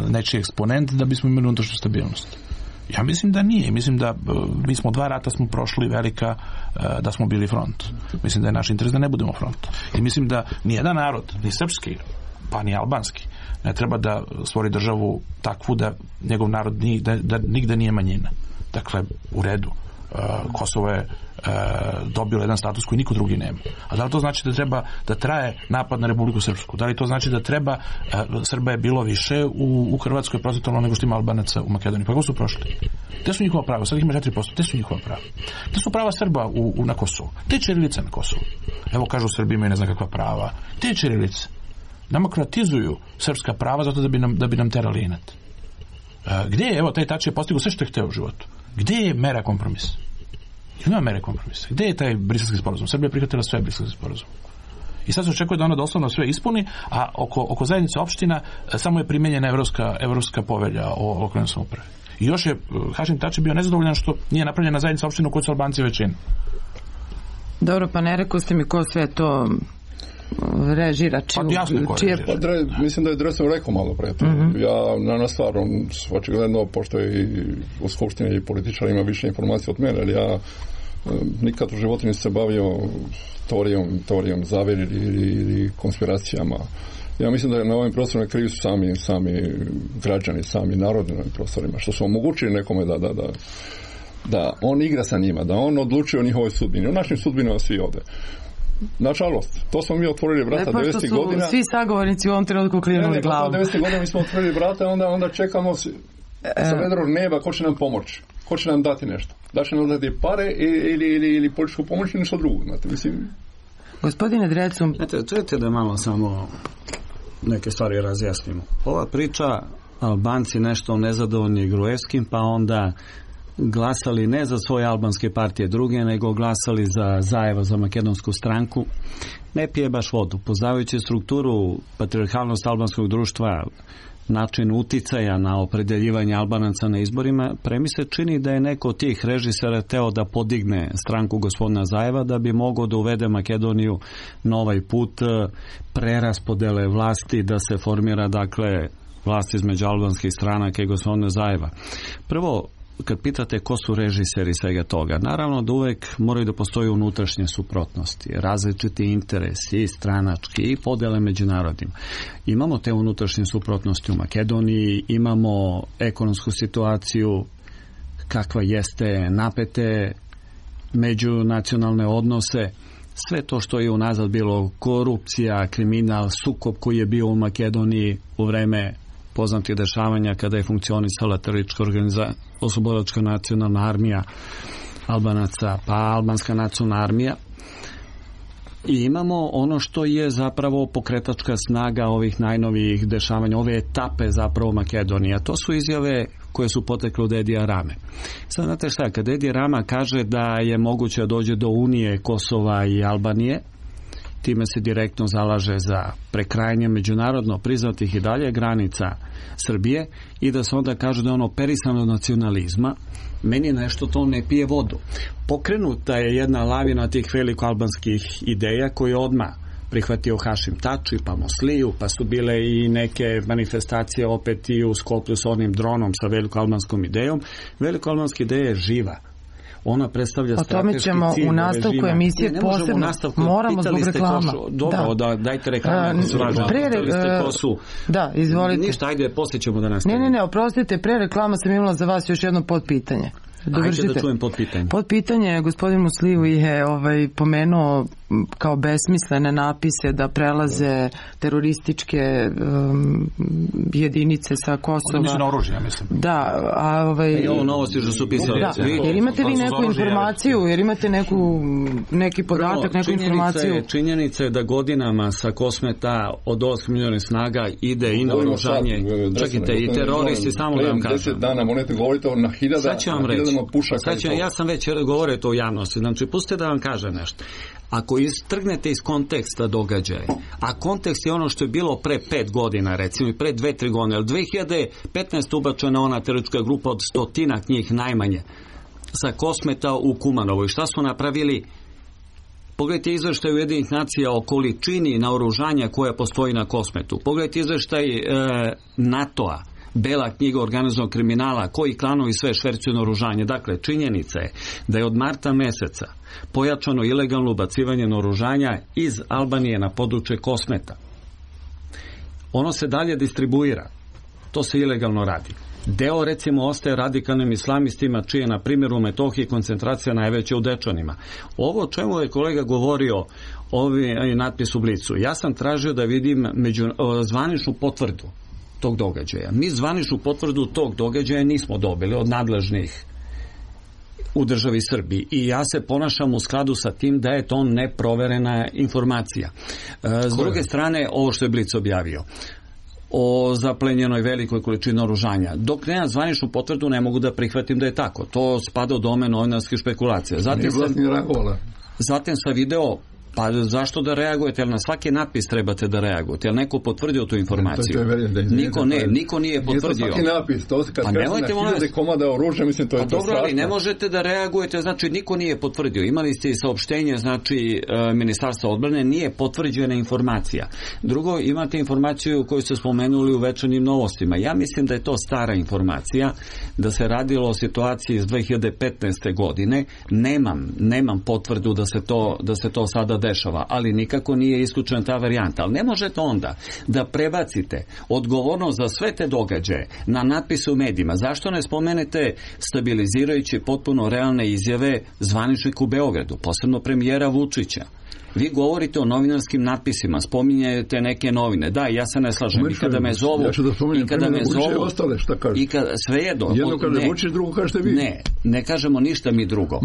[SPEAKER 5] nečiji eksponent da bismo imali unutrašnju stabilnost. Ja mislim da nije. Mislim da mi smo 2 rata smo prošli velika da smo bili front. Mislim da je naš interes da ne budemo front. I mislim da nijedan narod, ni srpski, pa ni albanski, ne treba da stvori državu takvu da njegov narod da nigde nije manjina. Dakle, u redu. Kosovo je dobilo jedan status koji niko drugi nema. A da li to znači da treba da traje napad na Republiku Srpsku? Da li to znači da treba Srba je bilo više u Hrvatskoj procentualno nego što ima Albanaca u Makedoniji? Pa kako su prošli? Gde su njihova prava? Sad ih ima 4%. Gde su njihova prava? Gde su prava Srba na Kosovu? Te ćirilice na Kosovu. Evo kažu Srbi imaju ne znam kakva prava. Te ćirilice demokratizuju srpska prava zato da bi nam terali inat. Gde je, evo, taj Tači je postigao sve što je hteo u životu. Gde je mera kompromisa? Nema mere kompromisa. Gde je taj briselski sporazum? Srbija je prihvatila sve briselski sporazum. I sad se očekuje da ona doslovno sve ispuni, a oko zajednice opština samo je primenjena evropska povelja o lokalnoj samoupravi. I još je Hašim Tači bio nezadovoljan što nije napravljena zajednica opština u kojoj su Albanci većina.
[SPEAKER 2] Dobro, pa ne rekao ste mi ko sve to režira,
[SPEAKER 4] mislim da je Dresden rekao malo pre to. Ja na stvar, očigledno, pošto je i u skupštini i političar ima više informacija od mene, ali ja nikad u životu nisam se bavio teorijom zavere ili konspiracijama. Ja mislim da je na ovim prostorima krivi su sami građani, sami narodi na ovim prostorima, što su omogućili nekome da on igra sa njima, da on odlučuje o njihovoj sudbini, o našim sudbinama svi ovde. Nažalost, to smo mi otvorili vrata 90. godina.
[SPEAKER 2] Svi sagovornici u ovom trenutku klinuli glavu.
[SPEAKER 4] 90. godina mi smo otvorili vrata, onda čekamo sa vedrog neba ko će nam pomoći, ko će nam dati nešto. Da će nam dati pare ili političku pomoć ili nešto drugo. Znate, mislim...
[SPEAKER 2] Gospodine Drecun...
[SPEAKER 6] Čujete da malo samo neke stvari razjasnimo. Ova priča, Albanci nešto nezadovoljni Gruevskim, pa onda glasali ne za svoje albanske partije druge, nego glasali za Zaeva, za makedonsku stranku, ne pije baš vodu. Poznavajući strukturu, patriarhalnost albanskog društva, način uticaja na opredeljivanje Albanaca na izborima, mi se čini da je neko od tih režisera teo da podigne stranku gospodina Zaeva da bi mogao da uvede Makedoniju na ovaj put preraspodele vlasti, da se formira, dakle, vlast između albanskih stranaka i gospodina Zaeva. Prvo, kad pitate ko su režiseri svega toga, naravno da uvek moraju da postoji unutrašnje suprotnosti, različiti interesi i stranački i podele među narodima. Imamo te unutrašnje suprotnosti u Makedoniji, imamo ekonomsku situaciju kakva jeste, napete međunacionalne odnose, sve to što je unazad bilo korupcija, kriminal, sukob koji je bio u Makedoniji u vreme poznatih dešavanja kada je funkcionisala teroristička oslobodilačka nacionalna armija Albanaca, pa albanska nacionalna armija. I imamo ono što je zapravo pokretačka snaga ovih najnovijih dešavanja, ove etape zapravo Makedonije. To su izjave koje su potekle od Edija Rame. Sad znate šta, kad Edi Rama kaže da je moguće da dođe do unije Kosova i Albanije, time se direktno zalaže za prekrajanje međunarodno priznatih i dalje granica Srbije i da se onda kaže da je ono operisano nacionalizma, meni nešto to ne pije vodu. Pokrenuta je jedna lavina tih velikoalbanskih ideja koje je odmah prihvatio Hašim Tači, pa Mosliju, pa su bile i neke manifestacije opet i u Skoplju s onim dronom sa velikoalbanskom idejom. Velikoalbanska ideja je živa. Ona predstavlja strateški cilj. O tome ćemo u nastavku emisije posebno. Moramo zbog reklama. Dobro, dajte reklame.
[SPEAKER 2] Da, izvolite.
[SPEAKER 6] Ništa, ajde, poslije ćemo da nastavimo.
[SPEAKER 2] Ne, oprostite, pre reklama sam imala za vas još jedno podpitanje.
[SPEAKER 6] Ajde da čujem podpitanje.
[SPEAKER 2] Podpitanje, gospodin Musliju je pomenuo kao besmislene napise da prelaze terorističke jedinice sa Kosova.
[SPEAKER 5] Nisu na oružje, ja mislim.
[SPEAKER 2] Da,
[SPEAKER 6] I ovo novosti što su pisali.
[SPEAKER 2] Da, jer imate vi neku informaciju, jer imate neki podatak, neku informaciju.
[SPEAKER 6] Činjenica je da godinama sa Kosmeta od 8 milijona snaga ide i na oružanje. Čekajte, i teroristi, samo da vam kažem.
[SPEAKER 4] 10 dana monete govorite na hiljadama pušaka.
[SPEAKER 6] Ja sam već govorio to u javnosti. Znači, pustite da vam kažem nešto. Ako istrgnete iz konteksta događaja, a kontekst je ono što je bilo pre 5 godina, recimo i pre 2-3 godine, ali 2015 ubačena ona teroristička grupa od 100 njih najmanje sa Kosmeta u Kumanovu. I šta su napravili? Pogledajte izveštaj Ujedinjenih nacija o količini naoružanja koja postoji na Kosmetu. Pogledajte izveštaj NATO-a, Bela knjiga organizovanog kriminala, koji klanovi sve švercuju naoružanje. Dakle, činjenica je da je od marta meseca pojačano ilegalno ubacivanje naoružanja iz Albanije na područje Kosmeta. Ono se dalje distribuira. To se ilegalno radi. Deo, recimo, ostaje radikalnim islamistima, čije, na primjer, u Metohiji koncentracija najveća u Dečanima. Ovo o čemu je kolega govorio, ovi natpis u Blicu, ja sam tražio da vidim zvaničnu potvrdu tog događaja. Mi zvaničnu potvrdu tog događaja nismo dobili od nadležnih u državi Srbiji i ja se ponašam u skladu sa tim da je to neproverena informacija. S druge strane, ovo što je Blic objavio o zaplenjenoj velikoj količini oružanja. Dok nema zvaničnu potvrdu, ne mogu da prihvatim da je tako. To spada u domen novinarskih špekulacija. Zatim sam video Pa zašto da reagujete? Jel na svaki napis trebate da reagujete? Jel neko potvrdio tu informaciju? Niko nije potvrdio.
[SPEAKER 4] Nije to svaki napis, to kad kažete na 1000 komada oružja, mislim, to je to strašno.
[SPEAKER 6] Dobro, ali ne možete da reagujete, znači niko nije potvrdio. Imali ste i saopštenje, znači Ministarstva odbrane, nije potvrđena informacija. Drugo, imate informaciju koju ste spomenuli u Večernjim novostima. Ja mislim da je to stara informacija, da se radilo o situaciji iz 2015. godine. Nemam potvrdu da se to sada dešava, ali nikako nije isključena ta varijanta. Ali ne možete onda da prebacite odgovornost za sve te događaje na natpise u medijima. Zašto ne spomenete stabilizirajuće potpuno realne izjave zvaničnika u Beogradu, posebno premijera Vučića? Vi govorite o novinarskim natpisima, spominjete neke novine. Da, ja se ne slažem. I kada me zovu,
[SPEAKER 4] ostale, šta kažeš?
[SPEAKER 6] Sve jedno.
[SPEAKER 4] Jedno kaže Vučić, drugo kažete vi.
[SPEAKER 6] Ne kažemo ništa mi drugo.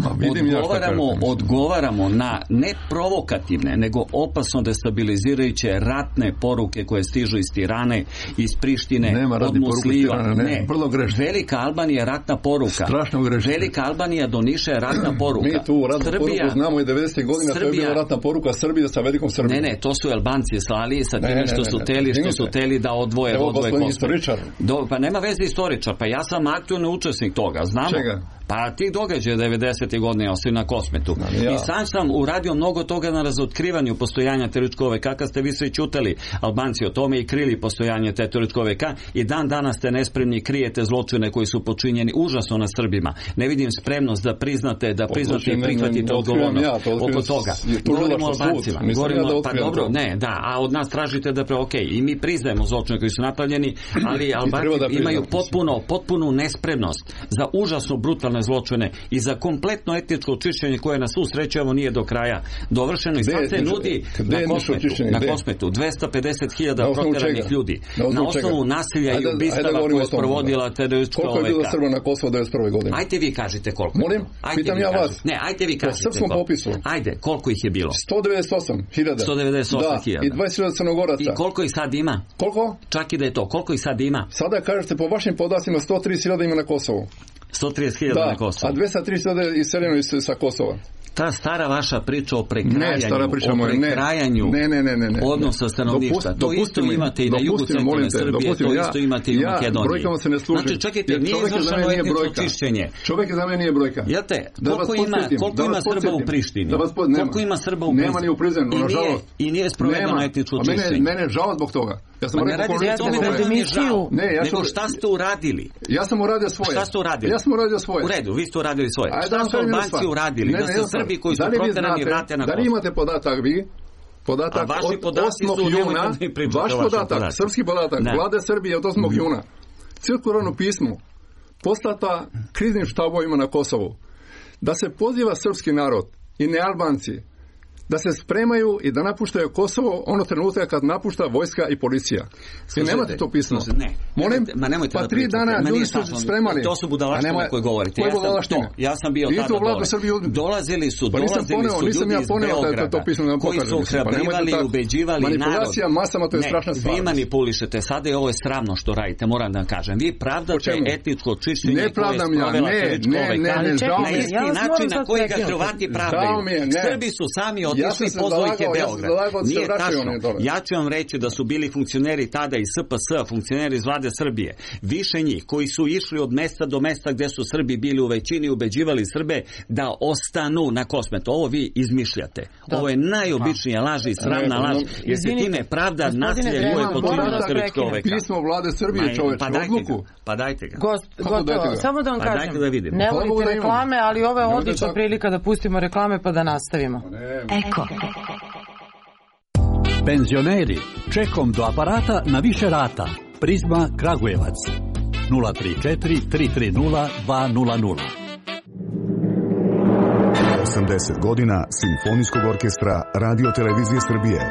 [SPEAKER 6] Odgovaramo na ne provokativne, nego opasno destabilizirajuće ratne poruke koje stižu iz Tirane, iz Prištine, od Muslima.
[SPEAKER 4] Vrlo grešno.
[SPEAKER 6] Velika Albanija je ratna poruka.
[SPEAKER 4] Strašno grešno.
[SPEAKER 6] Velika Albanija do Niša je ratna poruka.
[SPEAKER 4] Mi tu ratnu poruku znamo i 90. godina, to je bila ratna poruka Srbije sa velikom Srbijom.
[SPEAKER 6] Ne, to su Albanci slali sa tim što su teli da odvoje Kosovo. Pa nema veze istoričar, pa ja sam aktualni učesnik toga, znamo.
[SPEAKER 4] Čega?
[SPEAKER 6] Pa ti događaje 90. godine ostaju na Kosmetu. I sam uradio mnogo toga na razotkrivanju postojanja terorističkog OVK, kad ste vi svi ćutali Albanci o tome i krili postojanje te terorističkog OVK, i dan danas ste nespremni, krijete zločine koji su počinjeni užasno na Srbima. Ne vidim spremnost da priznate i prihvatite odgovornost oko toga. Govorimo o Albancima. Pa dobro, a od nas tražite da i mi priznajemo zločine koji su napravljeni, ali Albanci imaju potpunu nespremnost za užasno brutalne zločine i za kompletno etničko očišćenje koje na svu sreću nije do kraja dovršeno. I sad se nudi na Kosmetu 250.000 proteranih ljudi na osnovu nasilja i ubistava koje je sprovodila teroristička OVK.
[SPEAKER 4] Koliko je bilo Srba na Kosovo 1991. godine?
[SPEAKER 6] Ajte vi kažite koliko.
[SPEAKER 4] Molim? Pitam ja vas.
[SPEAKER 6] Ne, ajte vi kažite koliko. Po srpskom popisu. Ajde, koliko ih je bilo?
[SPEAKER 4] 198.000.
[SPEAKER 6] 198.000.
[SPEAKER 4] I 20.000 Crnogoraca.
[SPEAKER 6] I koliko ih sad ima?
[SPEAKER 4] Koliko?
[SPEAKER 6] Čak i da je to. Koliko ih sad ima?
[SPEAKER 4] Sada kažete po vašim podacima 130.000 ima na Kosovu.
[SPEAKER 6] 130.000 na Kosovu.
[SPEAKER 4] A 230.000 iseljeno sa Kosova.
[SPEAKER 6] Ta stara vaša priča o prekrajanju, odnosa stanovništva, to isto imate i na jugu centralne Srbije, to isto imate i u Makedoniji.
[SPEAKER 4] Brojkama se ne služim.
[SPEAKER 6] Znači, čekajte, nije izvršeno etničko čišćenje.
[SPEAKER 4] Čovjek za mene nije brojka.
[SPEAKER 6] Jeste, koliko ima Srba u Prištini? Koliko ima Srba u Prištini?
[SPEAKER 4] Nema ni u Prizrenu, nažalost.
[SPEAKER 6] I nije sprovedeno etničko čišćenje.
[SPEAKER 4] Mene je žao zbog toga.
[SPEAKER 6] Ne radite o tome da mi je žao, nego šta ste uradili?
[SPEAKER 4] Ja sam uradio svoje.
[SPEAKER 6] Šta ste uradili?
[SPEAKER 4] Ja sam uradio svoje.
[SPEAKER 6] U redu, vi ste uradili svoje. Šta su Albanci uradili? Da se Srbi koji su proterani vrate na Kosovo.
[SPEAKER 4] Da li imate podatak vi? Podatak od 8. juna, vaš podatak, srpski podatak, vlade Srbije od 8. juna, cirkularno pismo poslata kriznim štabovima na Kosovu, da se poziva srpski narod i ne Albanci da se spremaju i da napuštaju Kosovo ono trenutka kad napušta vojska i policija. I nemate to pismo. Molim, pa 3 dana ljudi su spremali.
[SPEAKER 6] To su budalaštine koje govorite. Ja sam bio tada dole. Dolazili su ljudi iz Beograda koji su ohrabrivali i ubeđivali narod.
[SPEAKER 4] Manipulacija masama, to je strašna stvar.
[SPEAKER 6] Vi manipulišete sada i ovo je sramno što radite, moram da vam kažem. Vi pravdate etničko čišćenje koje je sprovela teroristička OVK na isti način na koji ga Hrvati pravdaju. Srbi su sami otišli, pozvao ih je Beograd. Nije tačno. Ja ću vam reći da su bili funkcioneri tada iz SPS, funkcioneri iz vlade Srbije. Više njih koji su išli od mesta do mesta gde su Srbi bili u većini, ubeđivali Srbe da ostanu na Kosmetu. Ovo vi izmišljate. Ovo je najobičnija laž i sramna laž, jer se time pravda nasilje koje počinjeno na teroristička OVK.
[SPEAKER 4] Pismo vlade Srbije, čoveče, odluku.
[SPEAKER 6] Pa dajte ga.
[SPEAKER 2] Gotovo. Samo da vam kažem. Ne volite reklame, ali ovo je odlična prilika da pustimo reklame pa da nastavimo.
[SPEAKER 7] Eko. Penzioneri, čekom do aparata na više rata. Prizma Kragujevac 034 330 200.
[SPEAKER 8] 80 godina Simfonijskog orkestra Radio Televizije Srbije.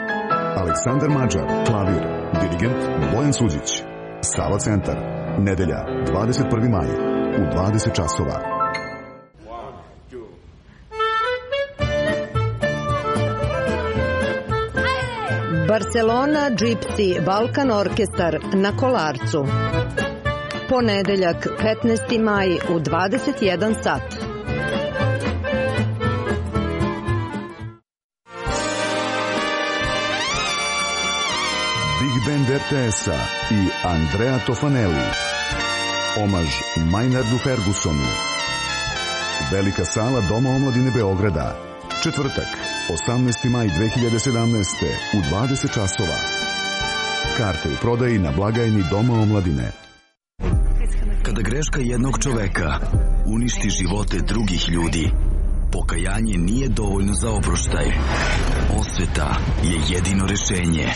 [SPEAKER 8] Aleksandar Mađar, klavir, dirigent Bojan Suđić. Sava centar, nedelja 21. maj u 20 časova.
[SPEAKER 9] Barcelona Gypsy Balkan Orkestar na Kolarcu. Ponedeljak 15. maj u 21 sat.
[SPEAKER 8] Big Band RTS-a i Andrea Tofanelli. Omaž Maynardu Fergusonu. Velika sala Doma omladine Beograda. Četvrtak, 18. maj 2017. u 20 časova. Karte u prodaji na blagajni Doma omladine.
[SPEAKER 10] Kada greška jednog čoveka uništi živote drugih ljudi, pokajanje nije dovoljno za oproštaj. Osveta je jedino rešenje.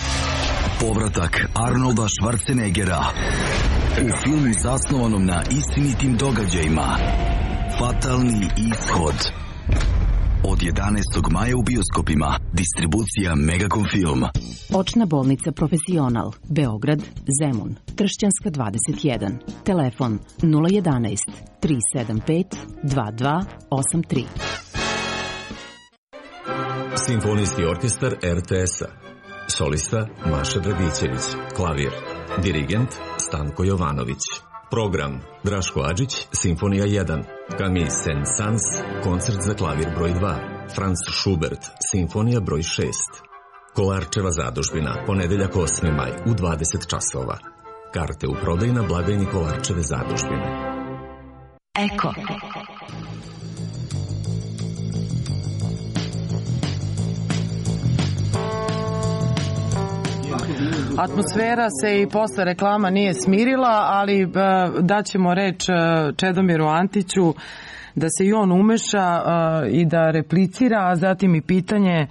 [SPEAKER 10] Povratak Arnolda Schwarzeneggera u filmu zasnovanom na istinitim događajima Fatalni ishod. Od 11. maja u bioskopima. Distribucija Megacom Film.
[SPEAKER 11] Očna bolnica Profesional. Beograd, Zemun. Tršćanska 21. Telefon 011 375 2283.
[SPEAKER 12] Simfonijski orkestar RTS-a. Solista Maša Dragićević. Klavir. Dirigent Stanko Jovanović. Program Draško Adžić, Simfonija 1. Camille Saint-Saëns, koncert za klavir broj 2. Franz Schubert, Simfonija broj 6. Kolarčeva zadužbina, ponedeljak 8. maj u 20 časova. Karte u prodaju na blagajni Kolarčeve zadužbine.
[SPEAKER 11] Eko.
[SPEAKER 2] Atmosfera se i posle reklama nije smirila, ali daćemo reč Čedomiru Antiću da se i on umeša i da replicira, a zatim i pitanje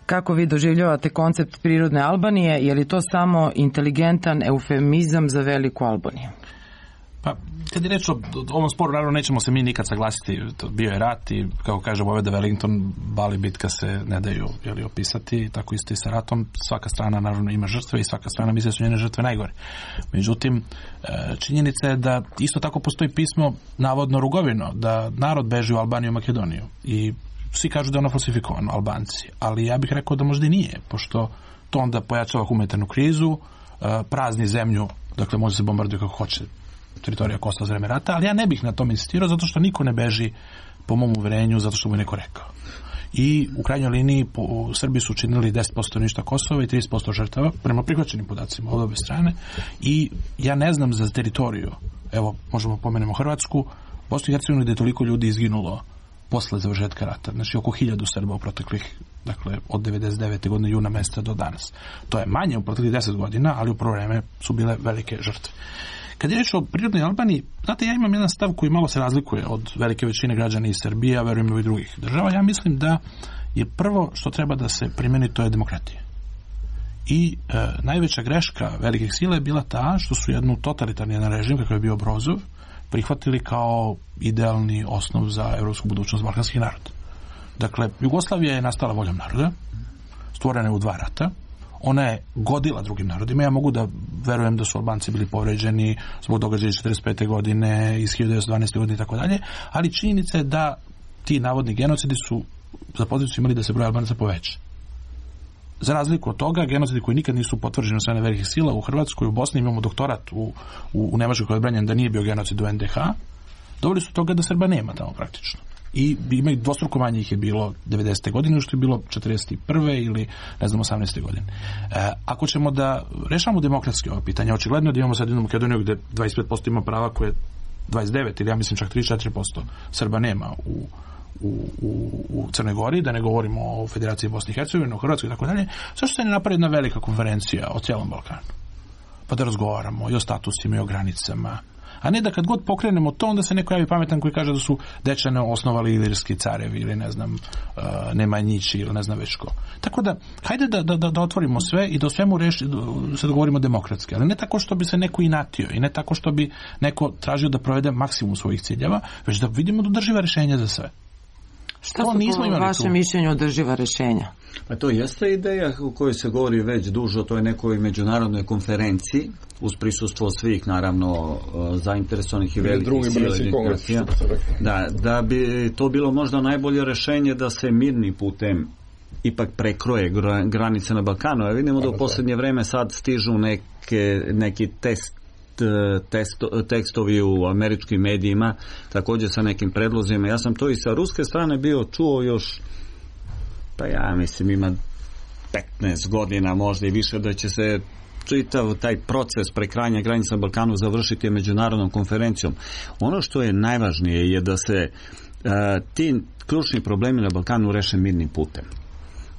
[SPEAKER 2] kako vi doživljavate koncept prirodne Albanije, je li to samo inteligentan eufemizam za veliku Albaniju?
[SPEAKER 5] Pa, kad je reč o ovom sporu, naravno nećemo se mi nikad saglasiti, bio je rat i, kako kaže Vojvoda Wellington, Bali bitka se ne daju opisati, tako isto i sa ratom, svaka strana naravno ima žrtve i svaka strana misle da su njene žrtve najgore. Međutim, činjenica je da isto tako postoji pismo, navodno rugovino, da narod beži u Albaniju i Makedoniju i svi kažu da je ono falsifikovano, Albanci, ali ja bih rekao da možda i nije, pošto to onda pojačava humanitarnu krizu, prazni zemlju, dakle može se bombarduje kako hoće teritorija Kosova za vreme rata, ali ja ne bih na tom insistirao zato što niko ne beži po mom uverenju zato što mu je neko rekao. I u krajnjoj liniji u Srbiji su učinili 10% ništa Kosova i 30% žrtava prema prihvaćenim podacima od obe strane i ja ne znam za teritoriju, evo možemo pomenemo Hrvatsku, Bosnu i Hercegovinu gde je toliko ljudi izginulo posle završetka rata, znači oko 1000 Srba u proteklih, dakle od 99. godine juna meseca do danas. To je manje u proteklih 10 godina, ali u prvo vreme su bile velike žrtve. Kad je reč o prirodnoj Albaniji, znate, ja imam jedan stav koji malo se razlikuje od velike većine građana iz Srbije, a verujem i drugih država. Ja mislim da je prvo što treba da se primeni, to je demokratija. I najveća greška velikih sila je bila ta što su jednu totalitarni režim, kakav je bio Brozov, prihvatili kao idealni osnov za evropsku budućnost balkanskih naroda. Dakle, Jugoslavija je nastala voljom naroda, stvorena je u 2 rata, ona je godila drugim narodima. Ja mogu da verujem da su Albanci bili povređeni zbog događaja iz 45. godine, iz 1912. godine i tako dalje, ali činjenica je da ti navodni genocidi su za posljedicu imali da se broj Albanaca poveća. Za razliku od toga, genocidi koji nikad nisu potvrđeni od strane velikih sila u Hrvatskoj, u Bosni, imamo doktorat u Nemačkoj koji je odbranjen da nije bio genocid u NDH, doveli su toga da Srba nema tamo praktično. I ima i dvostruko manje ih je bilo 90. godine, što je bilo 41. ili ne znam 18. godine. Ako ćemo da rešavamo demokratski ovo pitanje, očigledno da imamo sad jednu Makedoniju gde 25% ima prava koje 29 ili ja mislim čak 34% Srba nema u Crnoj Gori, da ne govorimo o Federaciji Bosne i Hercegovine, o Hrvatskoj i tako dalje. Zašto se ne napravi jedna velika konferencija o cijelom Balkanu? Pa da razgovaramo i o statusima i o granicama. A ne da kad god pokrenemo to, onda se neko javi pametan koji kaže da su Dečane osnovali ilirski carevi ili ne znam Nemanjići ili ne znam već ko. Tako da, hajde da otvorimo sve i da o svemu se dogovorimo demokratski, ali ne tako što bi se neko inatio i ne tako što bi neko tražio da provede maksimum svojih ciljeva, već da vidimo održiva rešenja za sve.
[SPEAKER 2] Šta su po vašem mišljenju održiva rešenja?
[SPEAKER 6] Pa to jeste ideja o kojoj se govori već duže o toj nekoj međunarodnoj konferenciji uz prisustvo svih naravno zainteresovanih i velikih sila. Da bi to bilo možda najbolje rešenje da se mirni putem ipak prekroje granice na Balkanu. Ja vidimo da u posljednje vreme sad stižu neki tekstovi u američkim medijima, također sa nekim predlozima. Ja sam to i sa ruske strane bio čuo još, pa ja mislim ima 15 godina možda i više, da će se čitav taj proces prekrajanja granica na Balkanu završiti međunarodnom konferencijom. Ono što je najvažnije je da se ti ključni problemi na Balkanu reše mirnim putem.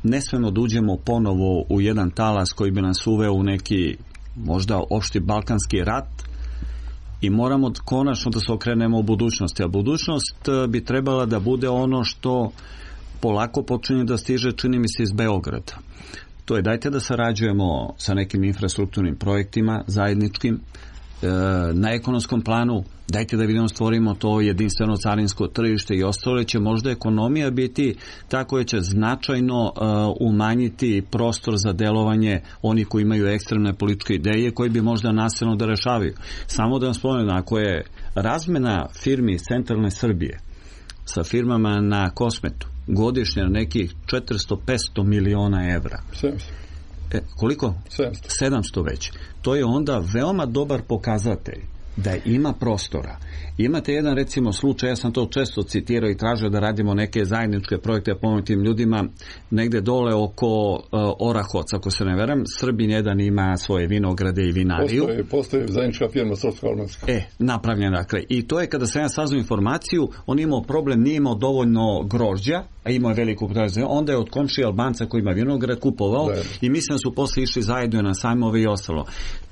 [SPEAKER 6] Ne smemo da uđemo ponovo u jedan talas koji bi nas uveo u neki možda opšti balkanski rat i moramo konačno da se okrenemo u budućnosti. A budućnost bi trebala da bude ono što polako počinje da stiže, čini mi se, iz Beograda. To je dajte da sarađujemo sa nekim infrastrukturnim projektima zajedničkim, na ekonomskom planu, dajte da vidimo stvorimo to jedinstveno carinsko tržište i ostalo, će možda ekonomija biti tako koja će značajno umanjiti prostor za delovanje onih koji imaju ekstremne političke ideje koji bi možda nasilno da rešavaju. Samo da vam spomenem, ako je razmena firmi iz centralne Srbije sa firmama na Kosmetu godišnje nekih 400-500 miliona evra. Koliko? 700 već. To je onda veoma dobar pokazatelj da ima prostora. Imate jedan recimo slučaj, ja sam to često citirao i tražio da radimo neke zajedničke projekte pomoći tim ljudima negde dole oko Orahovaca, ako se ne veram. Srbin jedan ima svoje vinograde i vinariju.
[SPEAKER 4] Postoji zajednička firma srpsko-albanska.
[SPEAKER 6] Napravljena, dakle. I to je kada sam ja saznao informaciju, on imao problem, nije imao dovoljno grožđa, a imao je veliku potražnju. Onda je od komšije Albanca koji ima vinograd kupovao i mislim da su posle išli zajedno na sajmove i ostalo.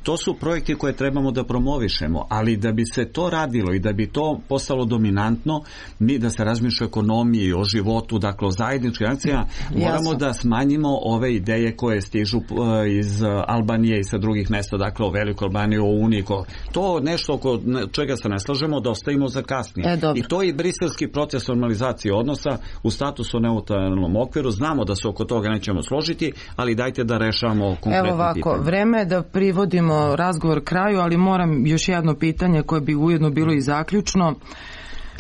[SPEAKER 6] To su projekti koje trebamo da promovišemo, ali da bi se to radilo i da bi to postalo dominantno, mi da se razmišlja o ekonomiji, o životu, dakle o zajedničkim akcijama, moramo da smanjimo ove ideje koje stižu iz Albanije i sa drugih mesta, dakle o Velikoj Albaniji, o Uniji. To nešto oko čega se ne slažemo da ostavimo za kasnije. I to je i briselski proces normalizacije odnosa u statusu neutralnom okviru. Znamo da se oko toga nećemo složiti, ali dajte da rešavamo konkretno pitanje.
[SPEAKER 2] Evo ovako, vreme je da privodimo razgovor kraju, ali moram još jedno pitanje koje bi ujedno bilo i zaključno.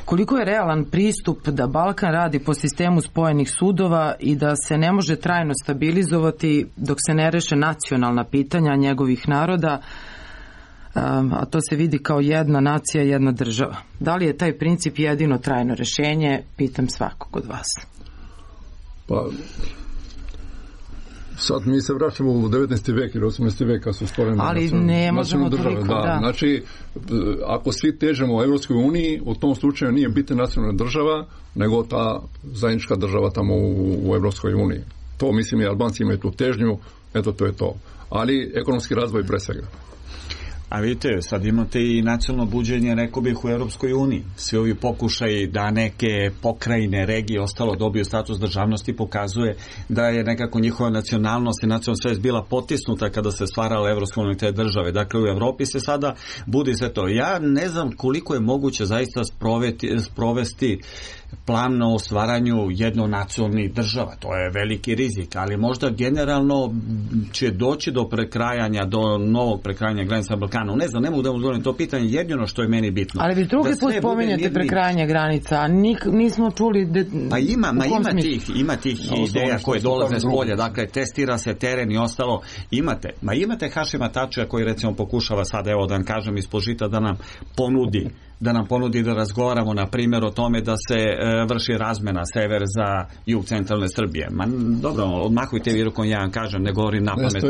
[SPEAKER 2] Koliko je realan pristup da Balkan radi po sistemu spojenih sudova i da se ne može trajno stabilizovati dok se ne reše nacionalna pitanja njegovih naroda, a to se vidi kao jedna nacija, jedna država? Da li je taj princip jedino trajno rešenje? Pitam svakog od vas.
[SPEAKER 4] Pa, sad mi se vraćamo u 19. vek ili 18. veka su stvorene nacionalne države. Znači, ako svi težemo u Evropskoj uniji, u tom slučaju nije biti nacionalna država, nego ta zajednička država tamo u Evropskoj uniji. To mislim i Albanci imaju tu težnju, eto to je to. Ali ekonomski razvoj pre svega.
[SPEAKER 6] A vidite, sad imate i nacionalno buđenje, rekao bih, u Europskoj uniji. Svi ovi pokušaj da neke pokrajine, regije, ostalo dobiju status državnosti pokazuje da je nekako njihova nacionalnost i nacionalna svest bila potisnuta kada se stvarala Evropska unija te države. Dakle, u Evropi se sada budi sve to. Ja ne znam koliko je moguće zaista sprovesti plan o stvaranju jednonacionalnih država. To je veliki rizik, ali možda generalno će doći do prekrajanja, do novog prekrajanja granica Balkana. Ne znam, ne mogu da odgovorim to pitanje, jedino što je meni bitno.
[SPEAKER 2] Ali vi drugi put spominjete prekrajanje granica, a nismo čuli...
[SPEAKER 6] Pa ima tih ideja koje dolaze s polja, dakle testira se teren i ostalo. Imate Hašima Tačija koji recimo pokušava sada, evo da vam kažem, ispod žita da nam ponudi da razgovaramo na primjer o tome da se vrši razmena sever za jug centralne Srbije. Dobro, odmahujte vi rukom, ja vam kažem, ne govorim na pamet.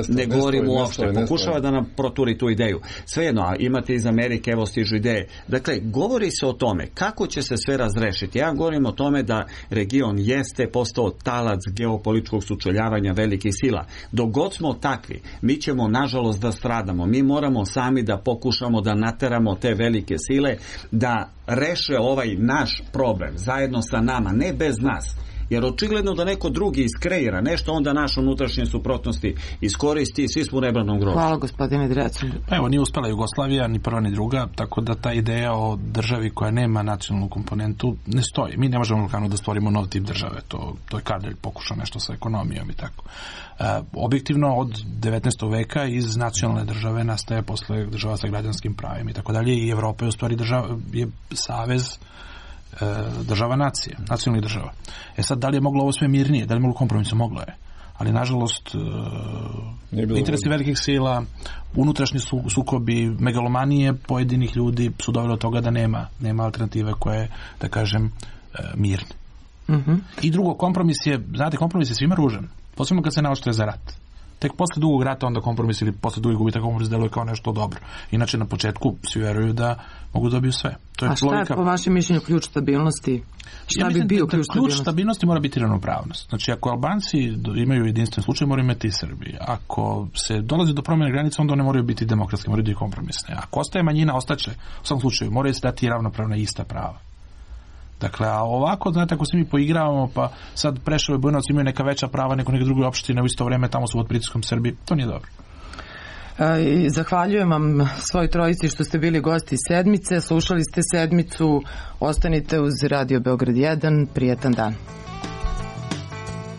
[SPEAKER 6] Ne govorim uopšte. Pokušava da nam proturi tu ideju. Svejedno, a imate iz Amerike, evo stižu ideje. Dakle, govori se o tome kako će se sve razrešiti. Ja govorim o tome da region jeste postao talac geopolitičkog sučeljavanja velikih sila. Dok god smo takvi, mi ćemo nažalost da stradamo. Mi moramo sami da pokušamo da nateramo te velike sile da reše ovaj naš problem zajedno sa nama, ne bez nas. Jer očigledno da neko drugi iskreira nešto, onda naše unutrašnje suprotnosti iskoristi i svi smo u nebranom grobu.
[SPEAKER 2] Hvala gospodine Drecelj.
[SPEAKER 5] Evo, nije uspela Jugoslavija, ni prva ni druga, tako da ta ideja o državi koja nema nacionalnu komponentu ne stoji. Mi ne možemo u Balkanu da stvorimo nov tip države, to je Kardelj pokušao nešto sa ekonomijom i tako. Objektivno od 19. veka iz nacionalne države nastaje posle država sa građanskim pravima i tako dalje, i Evropa je u stvari je savez država nacije, nacionalnih država. Sad, da li je moglo ovo sve mirnije, da li je moglo kompromisu? Moglo je. Ali, nažalost, interesi velikih sila, unutrašnji sukobi, megalomanije pojedinih ljudi su doveli do toga da nema alternative koje, da kažem, mirne. I drugo, kompromis je svima ružan. Posebno kad se naoštruje za rat. Tek posle dugog rata onda kompromis ili posle dugog gubitka kompromis deluje kao nešto dobro. Inače na početku svi veruju da mogu dobiti sve. To je
[SPEAKER 2] a šta
[SPEAKER 5] logika.
[SPEAKER 2] Je po vašem mišljenju ključ stabilnosti? Šta bi bio ključ
[SPEAKER 5] stabilnosti? Mora biti ravnopravnost. Znači ako Albanci imaju jedinstven slučaj, moraju imati i Srbi. Ako se dolazi do promjene granica, onda one moraju biti demokratske, moraju biti kompromisne. Ako ostaje manjina, ostaće u svakom slučaju. Moraju se dati ravnopravna ista prava. Dakle, a ovako, znate, ako se mi poigravamo, pa sad Preševo i Bujanovac imaju neka veća prava nego neke druge opštine, u isto vrijeme tamo su pod pritiskom Srbije, to nije dobro.
[SPEAKER 2] Zahvaljujem vam svoj trojici što ste bili gosti sedmice, slušali ste sedmicu, ostanite uz Radio Beograd 1, prijetan dan.